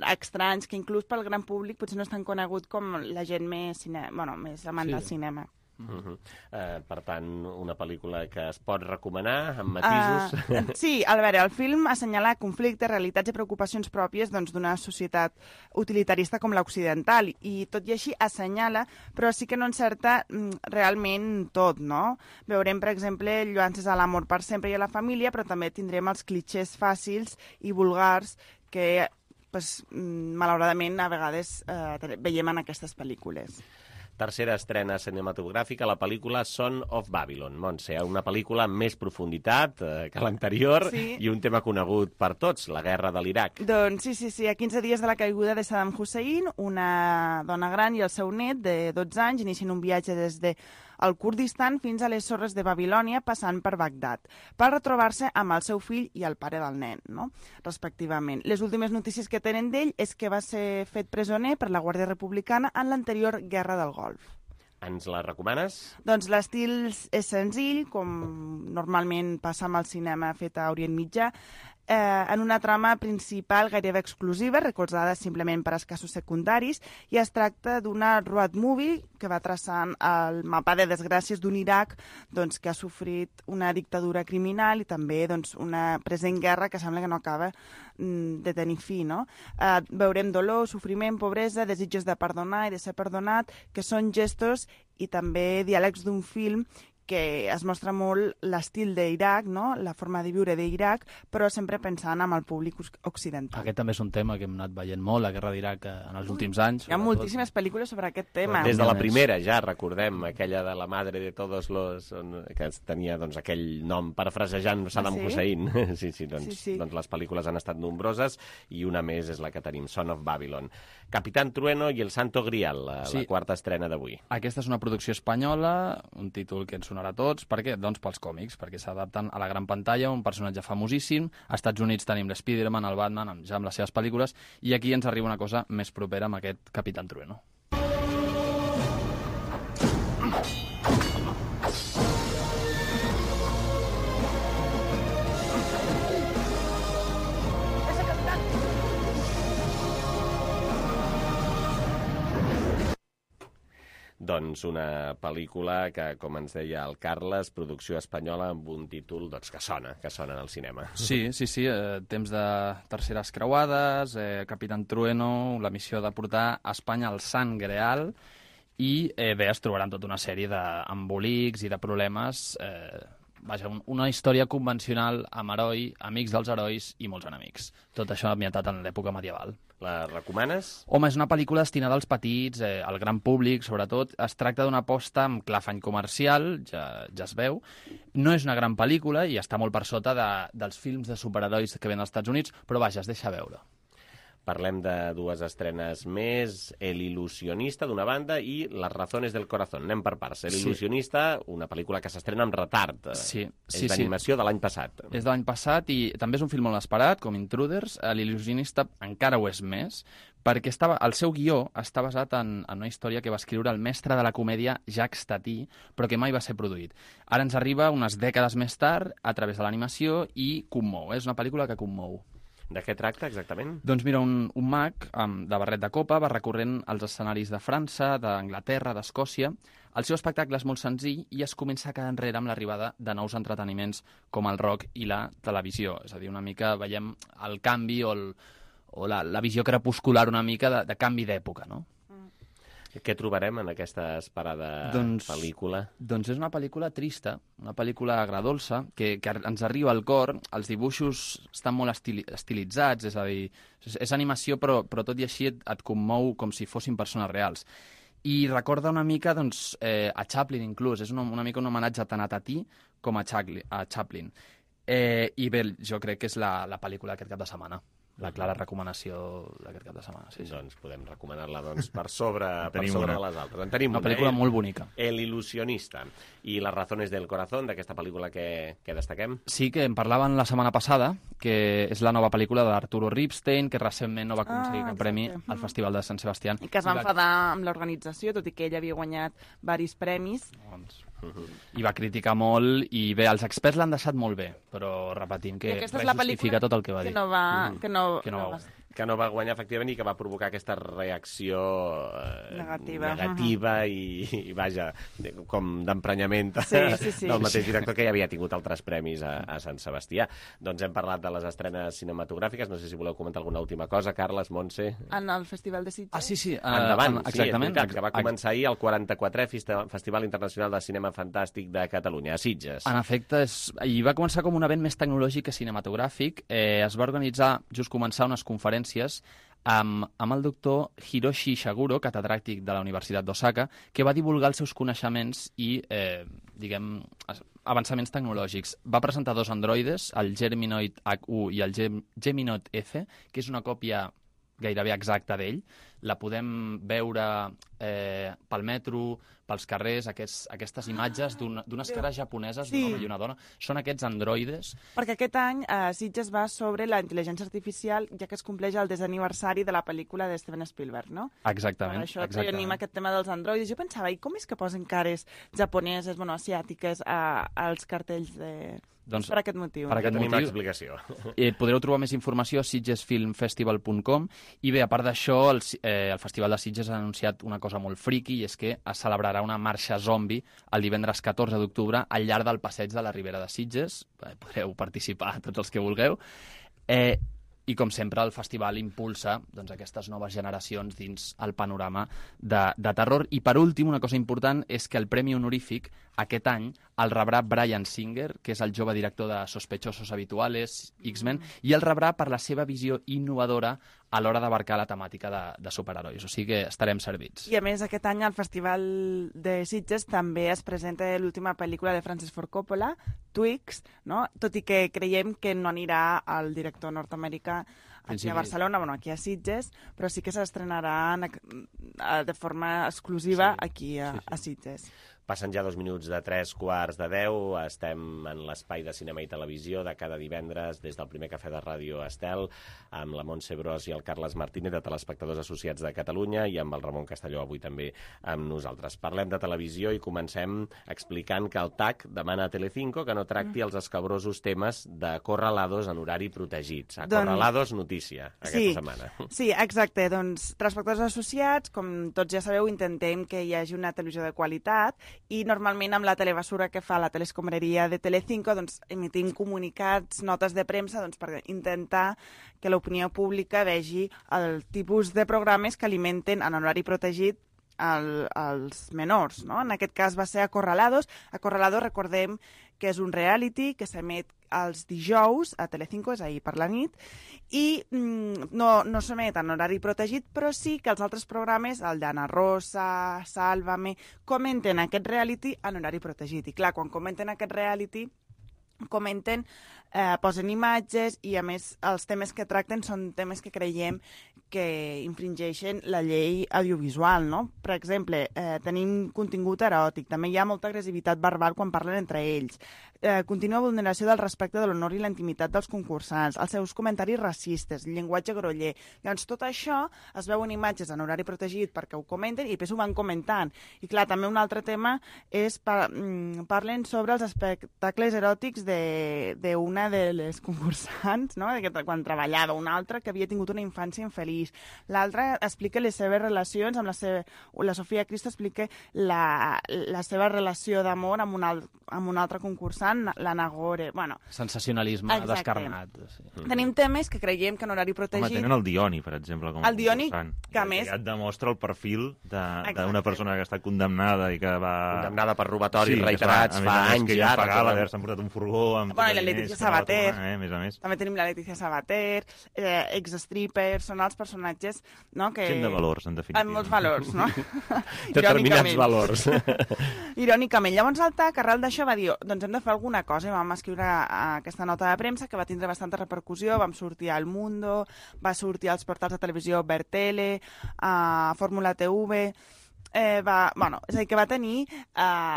Estranys, que inclús pel gran públic potser no és tan conegut com la gent més amant del cinema. Per tant, una pel·lícula que es pot recomanar amb matisos. Sí, a veure, el film assenyala conflictes, realitats i preocupacions pròpies d'una societat utilitarista com l'occidental, i tot i així assenyala, però sí que no encerta realment tot, no? Veurem, per exemple, lluances a l'amor per sempre i a la família, però també tindrem els clixés fàcils i vulgars que, malauradament, a vegades veiem en aquestes pel·lícules. Tercera estrena cinematogràfica, la pel·lícula Son of Babylon. Montse, una pel·lícula amb més profunditat que l'anterior i un tema conegut per tots, la guerra de l'Iraq. Doncs sí. A 15 dies de la caiguda de Saddam Hussein, una dona gran i el seu net de 12 anys inicien un viatge des de el Kurdistan fins a les sorres de Babilònia, passant per Bagdad, per retrobar-se amb el seu fill i el pare del nen, no? Respectivament. Les últimes notícies que tenen d'ell és que va ser fet presoner per la Guàrdia Republicana en l'anterior Guerra del Golf. Ens la recomanes? Doncs l'estil és senzill, com normalment passa amb el cinema fet a Orient Mitjà, en una trama principal gairebé exclusiva, recolzada simplement per escassos secundaris, i es tracta d'una road movie que va traçant el mapa de desgràcies d'un Iraq que ha sofrit una dictadura criminal i també una present guerra que sembla que no acaba de tenir fi, no? Veurem dolor, sofriment, pobresa, desitjos de perdonar i de ser perdonat, que són gestos i també diàlegs d'un film que es mostra molt l'estil d'Iraq, no? La forma de viure d'Iraq, però sempre pensant en el públic occidental. Aquest també és un tema que hem anat veient molt, la guerra d'Iraq, en els últims anys. Hi ha moltíssimes pel·lícules sobre aquest tema. Des de la primera, ja recordem, aquella de la madre de todos los... que tenia aquell nom parafrasejant Saddam Hussein. Doncs les pel·lícules han estat nombroses i una més és la que tenim, Son of Babylon. Capitán Trueno i el Santo Grial, la quarta estrena d'avui. Aquesta és una producció espanyola, un títol que ens sonarà a tots. Per què? Doncs pels còmics, perquè s'adapten a la gran pantalla, un personatge famosíssim. Als Estats Units tenim l'Spiderman, el Batman, ja amb les seves pel·lícules, i aquí ens arriba una cosa més propera amb aquest Capitán Trueno. Doncs una pel·lícula que, com ens deia el Carles, producció espanyola amb un títol que sona en el cinema. Sí, temps de terceres creuades, Capitán Trueno, la missió de portar a Espanya el Sant Greal, i bé, es trobaran tota una sèrie d'embolics i de problemes. Vaja, una història convencional amb heroi, amics dels herois i molts enemics. Tot això ambientat en l'època medieval. La recomanes? Home, és una pel·lícula destinada als petits, al gran públic, sobretot. Es tracta d'una aposta amb clar afany comercial, ja es veu. No és una gran pel·lícula i està molt per sota dels films de superherois que ven als Estats Units, però vaja, es deixa veure. Parlem de dues estrenes més, El il·lusionista, d'una banda, i Las razones del corazón. Anem per parts. El il·lusionista, una pel·lícula que s'estrena amb retard. És d'animació de l'any passat. És de l'any passat i també és un film molt esperat, com Intruders. L'il·lusionista encara ho és més, perquè el seu guió està basat en una història que va escriure el mestre de la comèdia Jacques Tati, però que mai va ser produït. Ara ens arriba unes dècades més tard a través de l'animació i commou. És una pel·lícula que commou. De què tracta, exactament? Doncs mira, un mag de barret de copa va recorrent els escenaris de França, d'Anglaterra, d'Escòcia. El seu espectacle és molt senzill i es comença a quedar enrere amb l'arribada de nous entreteniments com el rock i la televisió. És a dir, una mica veiem el canvi o la visió crepuscular una mica de canvi d'època, no? Què trobarem en aquesta esperada pel·lícula? Doncs és una pel·lícula trista, una pel·lícula agradolça, que ens arriba al cor. Els dibuixos estan molt estilitzats, és a dir, és animació, però tot i així et commou com si fossin persones reals. I recorda una mica a Chaplin, inclús. És una mica un homenatge tant a Tati com a Chaplin. I bé, jo crec que és la pel·lícula aquest cap de setmana. la clara recomanació d'aquest cap de setmana. Sí. Doncs podem recomanar-la per sobre de les altres. En tenim una pel·lícula molt bonica. El ilusionista. I les razones del corazón, d'aquesta pel·lícula que destaquem? Sí, que en parlaven la setmana passada, que és la nova pel·lícula d'Arturo Ripstein, que recentment no va aconseguir cap premi al Festival de Sant Sebastián. I que es va enfadar amb l'organització, tot i que ell havia guanyat diversos premis. I va criticar molt, i bé, els experts l'han deixat molt bé, però repetim que res justifica tot el que va dir. Que no va guanyar, efectivament, i que va provocar aquesta reacció negativa i vaja, com d'emprenyament del mateix director, que ja havia tingut altres premis a Sant Sebastià. Doncs hem parlat de les estrenes cinematogràfiques. No sé si voleu comentar alguna última cosa, Carles, Montse. En el Festival de Sitges. Sí. Endavant, exactament. Sí, que va començar ahir el 44è Festival Internacional de Cinema Fantàstic de Catalunya, a Sitges. En efecte, i va començar com un event més tecnològic que cinematogràfic. Es va organitzar, just començar, unes conferències amb el doctor Hiroshi Ishiguro, catedràtic de la Universitat d'Osaka, que va divulgar els seus coneixements i, avançaments tecnològics. Va presentar 2 androides, el Geminoid H1 i el Geminoid F, que és una còpia gairebé exacta d'ell. La podem veure pel metro, pels carrers, aquestes imatges d'unes cares japoneses, d'un home i una dona. Són aquests androides. Perquè aquest any Sitges va sobre la intel·ligència artificial, ja que es compleix el 10è aniversari de la pel·lícula de Steven Spielberg, no? Exactament. Per això tenim aquest tema dels androides. Jo pensava, i com és que posen cares japoneses, asiàtiques, als cartells de... Doncs, per aquest motiu. Per aquest tenim motiu, l'explicació. Podreu trobar més informació a sitgesfilmfestival.com, i bé, a part d'això, el Festival de Sitges ha anunciat una cosa molt friqui, i és que es celebrarà una marxa zombi el divendres 14 d'octubre al llarg del passeig de la Ribera de Sitges. Podreu participar tots els que vulgueu. I, com sempre, el festival impulsa aquestes noves generacions dins el panorama de terror. I, per últim, una cosa important és que el Premi Honorífic aquest any el rebrà Bryan Singer, que és el jove director de Sospechosos Habituales, X-Men, i el rebrà per la seva visió innovadora a l'hora d'abarcar la temàtica de superherois. O sigui que estarem servits. I, a més, aquest any al Festival de Sitges també es presenta l'última pel·lícula de Francis Ford Coppola, Twix, no? Tot i que creiem que no anirà el director nord-americà aquí a Barcelona, aquí a Sitges, però sí que s'estrenarà de forma exclusiva aquí a Sitges. Passen ja 2 minuts de 3:45. Estem en l'espai de cinema i televisió de cada divendres des del primer cafè de Ràdio Estel, amb la Montse Bros i el Carles Martínez, de Telespectadors Associats de Catalunya, i amb el Ramon Castelló avui també amb nosaltres. Parlem de televisió i comencem explicant que el TAC demana a Telecinco que no tracti els escabrosos temes de Corralados en horari protegit. Corralados, notícia aquesta setmana. Sí, exacte. Doncs, Telespectadors Associats, com tots ja sabeu, intentem que hi hagi una televisió de qualitat, i normalment amb la telebasura que fa la telescombraria de Telecinco emitim comunicats, notes de premsa, per intentar que l'opinió pública vegi el tipus de programes que alimenten en horari protegit als menors, no? En aquest cas va ser Acorralados. Acorralados, recordem que és un reality que s'emet els dijous a Telecinco, és ahir per la nit, i no s'emet en horari protegit, però sí que els altres programes, el d'Anna Rosa, Sálvame, comenten aquest reality en horari protegit. I clar, quan comenten aquest reality, posen imatges, i a més els temes que tracten són temes que creiem que infringeixen la llei audiovisual, no? Per exemple, tenim contingut eròtic, també hi ha molta agressivitat verbal quan parlen entre ells, contínua vulneració del respecte de l'honor i la intimitat dels concursants, els seus comentaris racistes, llenguatge groller. Llavors, tot això es veuen imatges en horari protegit perquè ho comenten i després ho van comentant. I clar, també un altre tema és parlen sobre els espectacles eròtics d'una de les concursants, no? Quan treballava, una altra que havia tingut una infància infeliç. L'altra explica les seves relacions amb la Sofia Cristo explica la seva relació d'amor amb un altre concursant, l'Anna Gore. Bueno, sensacionalisme descarnat. Sí. Tenim temes que creiem que en horari protegit... Tenen el Dioni, per exemple, com a concursant. Que a més... Ja et demostra el perfil d'una persona que està condemnada i que va... Condemnada per robatori reiterats fa anys i ara. Pagar l'haver-se emportat un furgó Nimbó, amb Bueno, i la Letícia Sabater. A més a més. També tenim la Letícia Sabater, ex-stripper, són els personatges, no, que... Gent de valors, en definitiva. Amb molts valors, no? Determinats valors. Irònicament. Llavors el TAC, arrel d'això, va dir, doncs hem de fer alguna cosa, i vam escriure aquesta nota de premsa que va tindre bastanta repercussió, vam sortir al Mundo, va sortir als portals de televisió Bertele, a Fórmula TV, és a dir, que va tenir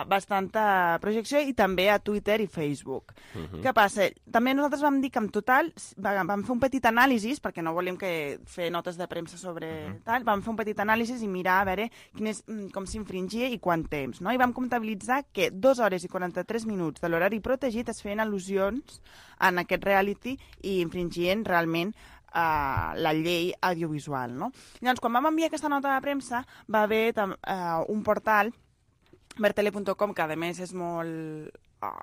bastanta projecció i també a Twitter i Facebook. Què passa? També nosaltres vam dir que en total vam fer un petit anàlisi, perquè no volíem fer notes de premsa sobre tal, vam fer un petit anàlisi i mirar a veure com s'infringia i quant temps, no? I vam comptabilitzar que 2 hores i 43 minuts de l'horari protegit es feien al·lusions en aquest reality i infringien realment la llei audiovisual, no? Llavors, quan vam enviar aquesta nota de premsa, va haver un portal, bertele.com, que a més és molt...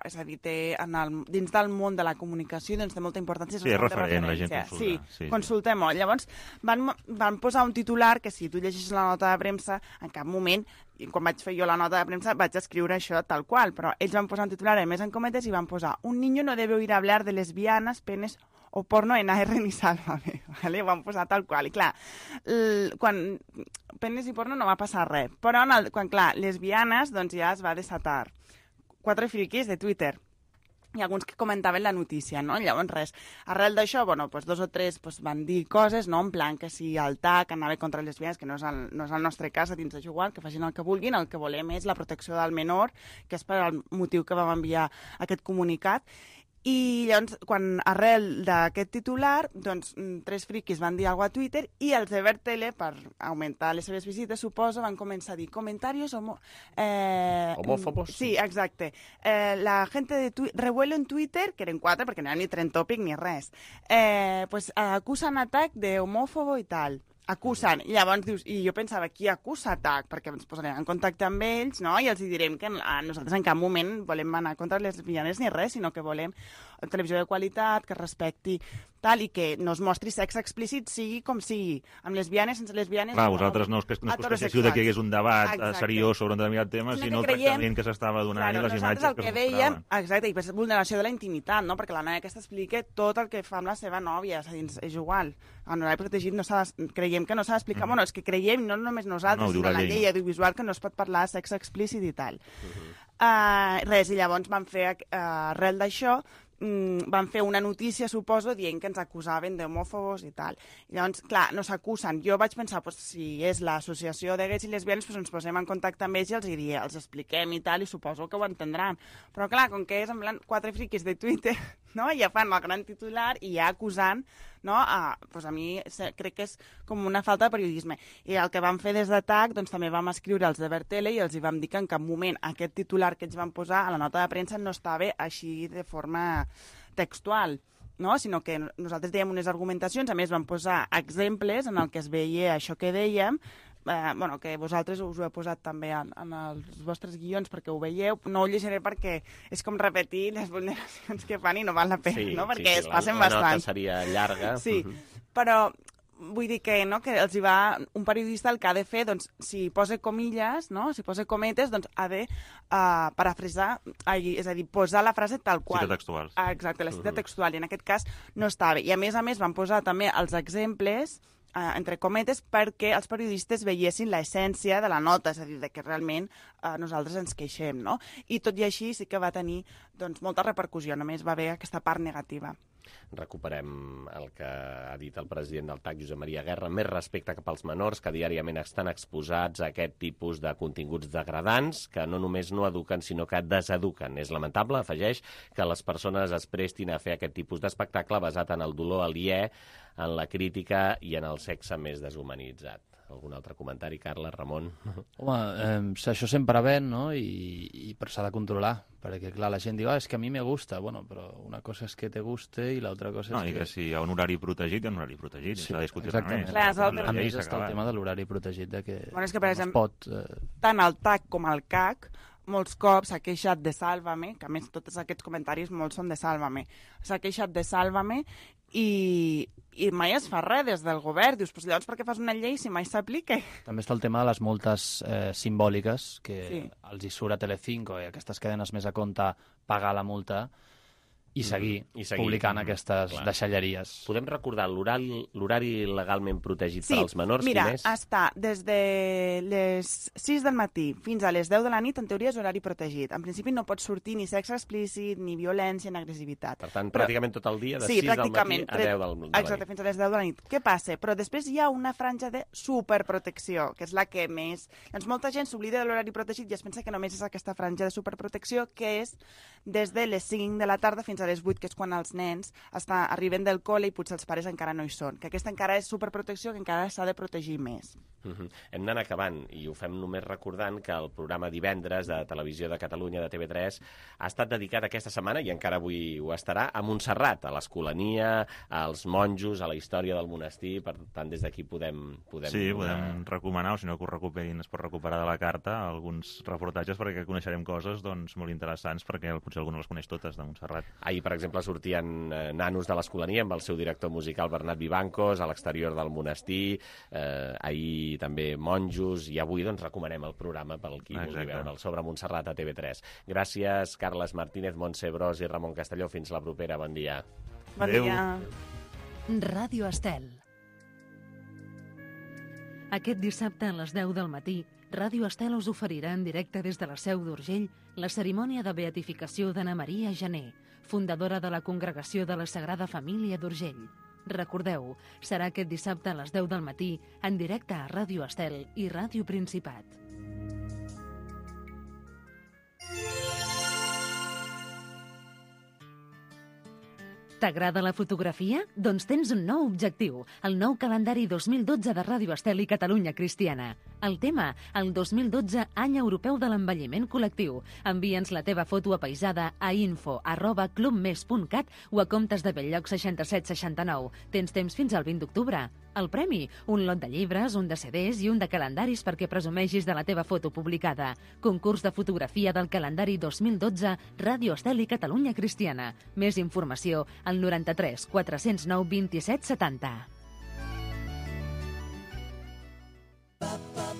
és a dir, dins del món de la comunicació doncs té molta importància. Sí, és referent, la gent consulta. Sí, consultem-ho. Llavors, van posar un titular que si tu llegeixes la nota de premsa, en cap moment, quan vaig fer jo la nota de premsa, vaig escriure això tal qual, però ells van posar un titular, a més en cometes, i van posar: un niño no debe oír hablar de lesbianas, penes o porno en AR ni Sálvame. Vale? Ho van posar tal qual. I clar, quan penes i porno no va passar res, però quan, clar, lesbianes, doncs ja es va desatar 4 friquis de Twitter i alguns que comentaven la notícia, no? Llavors, res. Arrel d'això, bueno, pues 2 o 3 pues, van dir coses, no? En plan que si el TAC anava contra les lesbianes, que no és el nostre cas, a dins de jugar, que facin el que vulguin, el que volem és la protecció del menor, que és per al motiu que vam enviar aquest comunicat. I llavors, quan arrel d'aquest titular, doncs 3 friquis van dir alguna cosa a Twitter i els de Bertele, per augmentar les seves visites, suposo, van començar a dir comentaris homòfobos. Sí, exacte. La gente de revuelo en Twitter, que eren 4, perquè no era ni trend topic ni res, pues acusen a TAC de homòfobo i tal. Acusen. I llavors dius, i jo pensava, qui acusa TAC? Perquè ens posarem en contacte amb ells, no? I els direm que nosaltres en cap moment volem anar contra les lesbianes ni res, sinó que volem televisió de qualitat, que respecti tal, i que no es mostri sexe explícit, sigui com sigui, amb lesbianes, sense lesbianes... Clar, vosaltres no és que queixiu que hi hagués un debat seriós sobre un determinat tema, sinó el tractament que s'estava donant i les imatges que es mostraven. Exacte, i per vulneració de la intimitat, no? Perquè la noia aquesta explica tot el que fa amb la seva nòvia, és igual. En l'horari protegit creiem que no s'ha d'explicar, bueno, és que creiem, no només nosaltres, sinó la llei audiovisual, que no es pot parlar de sexe explícit i tal. Res, i llavors van fer, arrel d'això, van fer una notícia, suposo, dient que ens acusaven d'homòfobos i tal. I llavors, clar, no s'acusen. Jo vaig pensar, pues, si és l'associació de gais i lesbianes, pues, ens posem en contacte amb ells i els expliquem i tal, i suposo que ho entendran. Però, clar, com que és en plan 4 friquis de Twitter, no? Ja fan el gran titular i ja acusant, no? Pues a mi crec que és com una falta de periodisme. I el que vam fer des de TAC, doncs també vam escriure als de Bertele i els hi vam dir que en cap moment aquest titular que ells van posar a la nota de premsa no estava així de forma textual, no? Sinó que nosaltres dèiem unes argumentacions, a més vam posar exemples en el que es veia això que dèiem, que vosaltres us ho he posat també en els vostres guions perquè ho veieu. No ho llegiré perquè és com repetir les vulneracions que fan i no val la pena, no? Perquè es passen bastant. La nota seria llarga. Sí, però vull dir que, no, que els hi va un periodista el que ha de fer, doncs, si posa comilles, no? Si posa cometes, doncs ha de parafrasar, és a dir, posar la frase tal qual. Cita textual. Exacte, la cita textual, i en aquest cas no estava. I a més van posar també els exemples entre cometes, perquè els periodistes veiessin l'essència de la nota, és a dir, que realment nosaltres ens queixem, no? I tot i així sí que va tenir doncs, molta repercussió, només va haver aquesta part negativa. Recuperem el que ha dit el president del TAC, Josep Maria Guerra, més respecte cap als menors que diàriament estan exposats a aquest tipus de continguts degradants que no només no eduquen, sinó que deseduquen. És lamentable, afegeix, que les persones es prestin a fer aquest tipus d'espectacle basat en el dolor aliè, en la crítica i en el sexe més deshumanitzat. Algun altre comentari, Carla, Ramon? Home, això sempre ven, no? Però s'ha de controlar, perquè, clar, la gent diu, és que a mi me gusta. Bueno, però una cosa és que te guste i l'altra cosa és que... No, i que si hi ha un horari protegit, hi ha un horari protegit, sí, s'ha de discutir exactament. res més. A més està el tema de l'horari protegit, de que bueno, és que, per exemple, no es pot... Tant el TAC com el CAC molts cops s'ha queixat de Sálvame, que a més tots aquests comentaris molts són de Sálvame, s'ha queixat de Sálvame i mai es fa res des del govern. Dius, pues llavors per què fas una llei si mai s'aplica? També està el tema de les multes simbòliques, que els hi surt a Telecinco i aquestes cadenes més a compte pagar la multa, i seguir publicant aquestes deixalleries. Podem recordar l'horari legalment protegit per als menors? Mira, quin és? està des de les 6 del matí fins a les 10 de la nit, en teoria és horari protegit. En principi no pot sortir ni sexe explícit, ni violència, ni agressivitat. Per tant, pràcticament tot el dia, de 6 del matí a 10 de la nit. Exacte, fins a les 10 de la nit. Què passa? Però després hi ha una franja de superprotecció, que és la que més... Doncs molta gent s'oblida de l'horari protegit i es pensa que només és aquesta franja de superprotecció, que és des de les 5 de la tarda fins a les 8, que és quan els nens arriben del col·le i potser els pares encara no hi són. Que aquesta encara és superprotecció, que encara s'ha de protegir més. Hem d'anar acabant, i ho fem només recordant que el programa Divendres de Televisió de Catalunya, de TV3, ha estat dedicat aquesta setmana, i encara avui ho estarà, a Montserrat, a l'Escolania, als monjos, a la història del monestir. Per tant, des d'aquí podem recomanar, o si no que ho recuperin, es pot recuperar de la carta alguns reportatges, perquè coneixerem coses molt interessants, perquè potser algú no les coneix totes, de Montserrat. Ahir, per exemple, sortien nanos de l'Escolania amb el seu director musical Bernat Vivancos a l'exterior del monestir, ahir també monjos, i avui recomanem el programa pel qui vulgui veure'l, sobre Montserrat a TV3. Gràcies, Carles Martínez, Montse Bros i Ramon Castelló. Fins la propera. Bon dia. Bon dia. Ràdio Estel. Aquest dissabte a les 10 del matí, Ràdio Estel us oferirà en directe des de la Seu d'Urgell la cerimònia de beatificació d'Anna Maria Jané, fundadora de la Congregació de la Sagrada Família d'Urgell. Recordeu, serà aquest dissabte a les 10 del matí, en directe a Ràdio Estel i Ràdio Principat. T'agrada la fotografia? Doncs tens un nou objectiu, el nou calendari 2012 de Ràdio Estel i Catalunya Cristiana. El tema, el 2012 Any Europeu de l'Envelliment Col·lectiu. Envia'ns la teva foto apaïsada a info@clubmes.cat o a comptes de Belllloc 6769. Tens temps fins al 20 d'octubre. El premi, un lot de llibres, un de CDs i un de calendaris perquè presumeixis de la teva foto publicada. Concurs de fotografia del calendari 2012 Ràdio Estel i Catalunya Cristiana. Més informació al 93 409 27 70.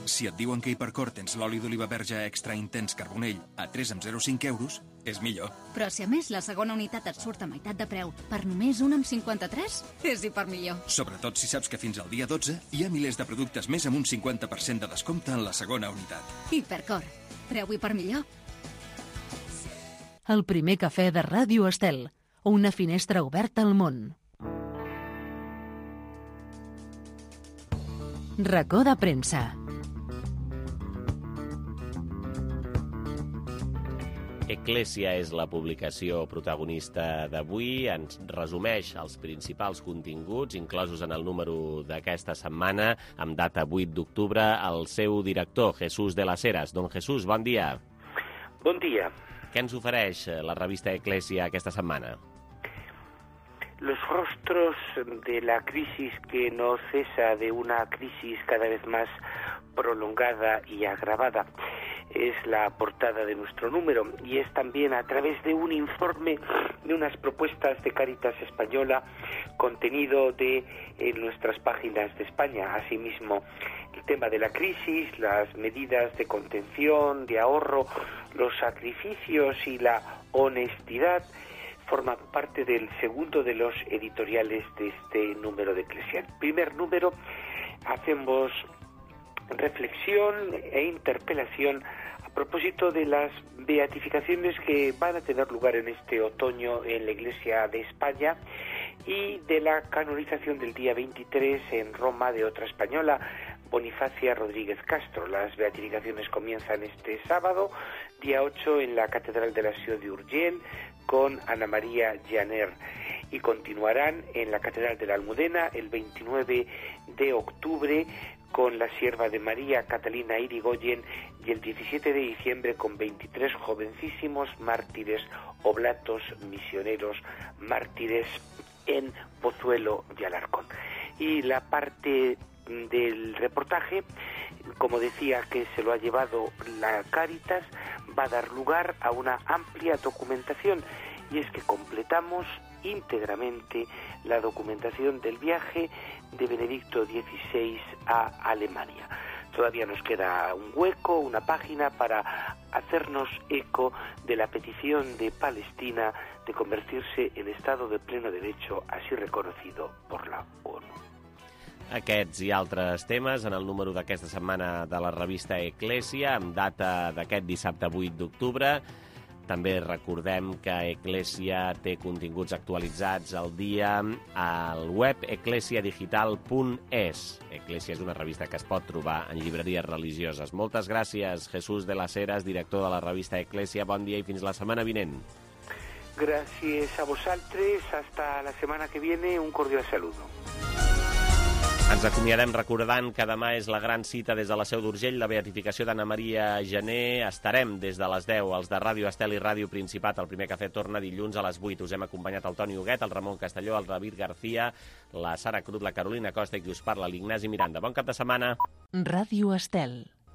Si et diuen que a Hipercor tens l'oli d'oliva verge extra intens carbonell a 3 amb 0,5 euros, és millor. Però si a més la segona unitat et surt a meitat de preu per només 1 amb 53, és hipermillor. Sobretot si saps que fins al dia 12 hi ha milers de productes més amb un 50% de descompte en la segona unitat. Hipercor. Preu hipermillor. El primer cafè de Ràdio Estel. Una finestra oberta al món. Racó de premsa. Eclésia és la publicació protagonista d'avui. Ens resumeix els principals continguts inclosos en el número d'aquesta setmana, amb data 8 d'octubre, el seu director, Jesús de las Heras. Don Jesús, bon dia. Bon dia. Què ens ofereix la revista Eclésia aquesta setmana? Los rostros de la crisis que no cesa, de una crisis cada vez más prolongada y agravada. Es la portada de nuestro número y es también a través de un informe de unas propuestas de Cáritas Española contenido en nuestras páginas de España. Asimismo, el tema de la crisis, las medidas de contención, de ahorro, los sacrificios y la honestidad forman parte del segundo de los editoriales de este número de Eclésia. En el primer número hacemos reflexión e interpelación a propósito de las beatificaciones que van a tener lugar en este otoño en la Iglesia de España y de la canonización del día 23 en Roma de otra española, Bonifacia Rodríguez Castro. Las beatificaciones comienzan este sábado, día 8, en la Catedral de la Ciudad de Urgell, con Ana María Janer, y continuarán en la Catedral de la Almudena el 29 de octubre con la Sierva de María Catalina Irigoyen y el 17 de diciembre con 23 jovencísimos mártires, oblatos, misioneros, mártires en Pozuelo y Alarcón. Y la parte del reportaje, como decía, que se lo ha llevado la Cáritas, va a dar lugar a una amplia documentación, y es que completamos íntegramente la documentación del viaje de Benedicto XVI a Alemania. Todavía nos queda un hueco, una página para hacernos eco de la petición de Palestina de convertirse en Estado de pleno derecho, así reconocido por la ONU. Aquests i altres temes en el número d'aquesta setmana de la revista Eclésia, amb data d'aquest dissabte 8 d'octubre. També recordem que Eclésia té continguts actualitzats al dia al web eclesiadigital.es. Eclésia és una revista que es pot trobar en llibreries religioses. Moltes gràcies, Jesús de las Heras, director de la revista Eclésia. Bon dia i fins la setmana vinent. Gracias a vosaltres. Hasta la semana que viene. Un cordial saludo. Ens acomiadem recordant que demà és la gran cita des de la Seu d'Urgell, la beatificació d'Anna Maria Gené. Estarem des de les 10, els de Ràdio Estel i Ràdio Principat. El primer cafè torna dilluns a les 8. Us hem acompanyat el Toni Huguet, el Ramon Castelló, el David García, la Sara Cruz, la Carolina Costa i qui us parla, l'Ignasi Miranda. Bon cap de setmana. Ràdio Estel.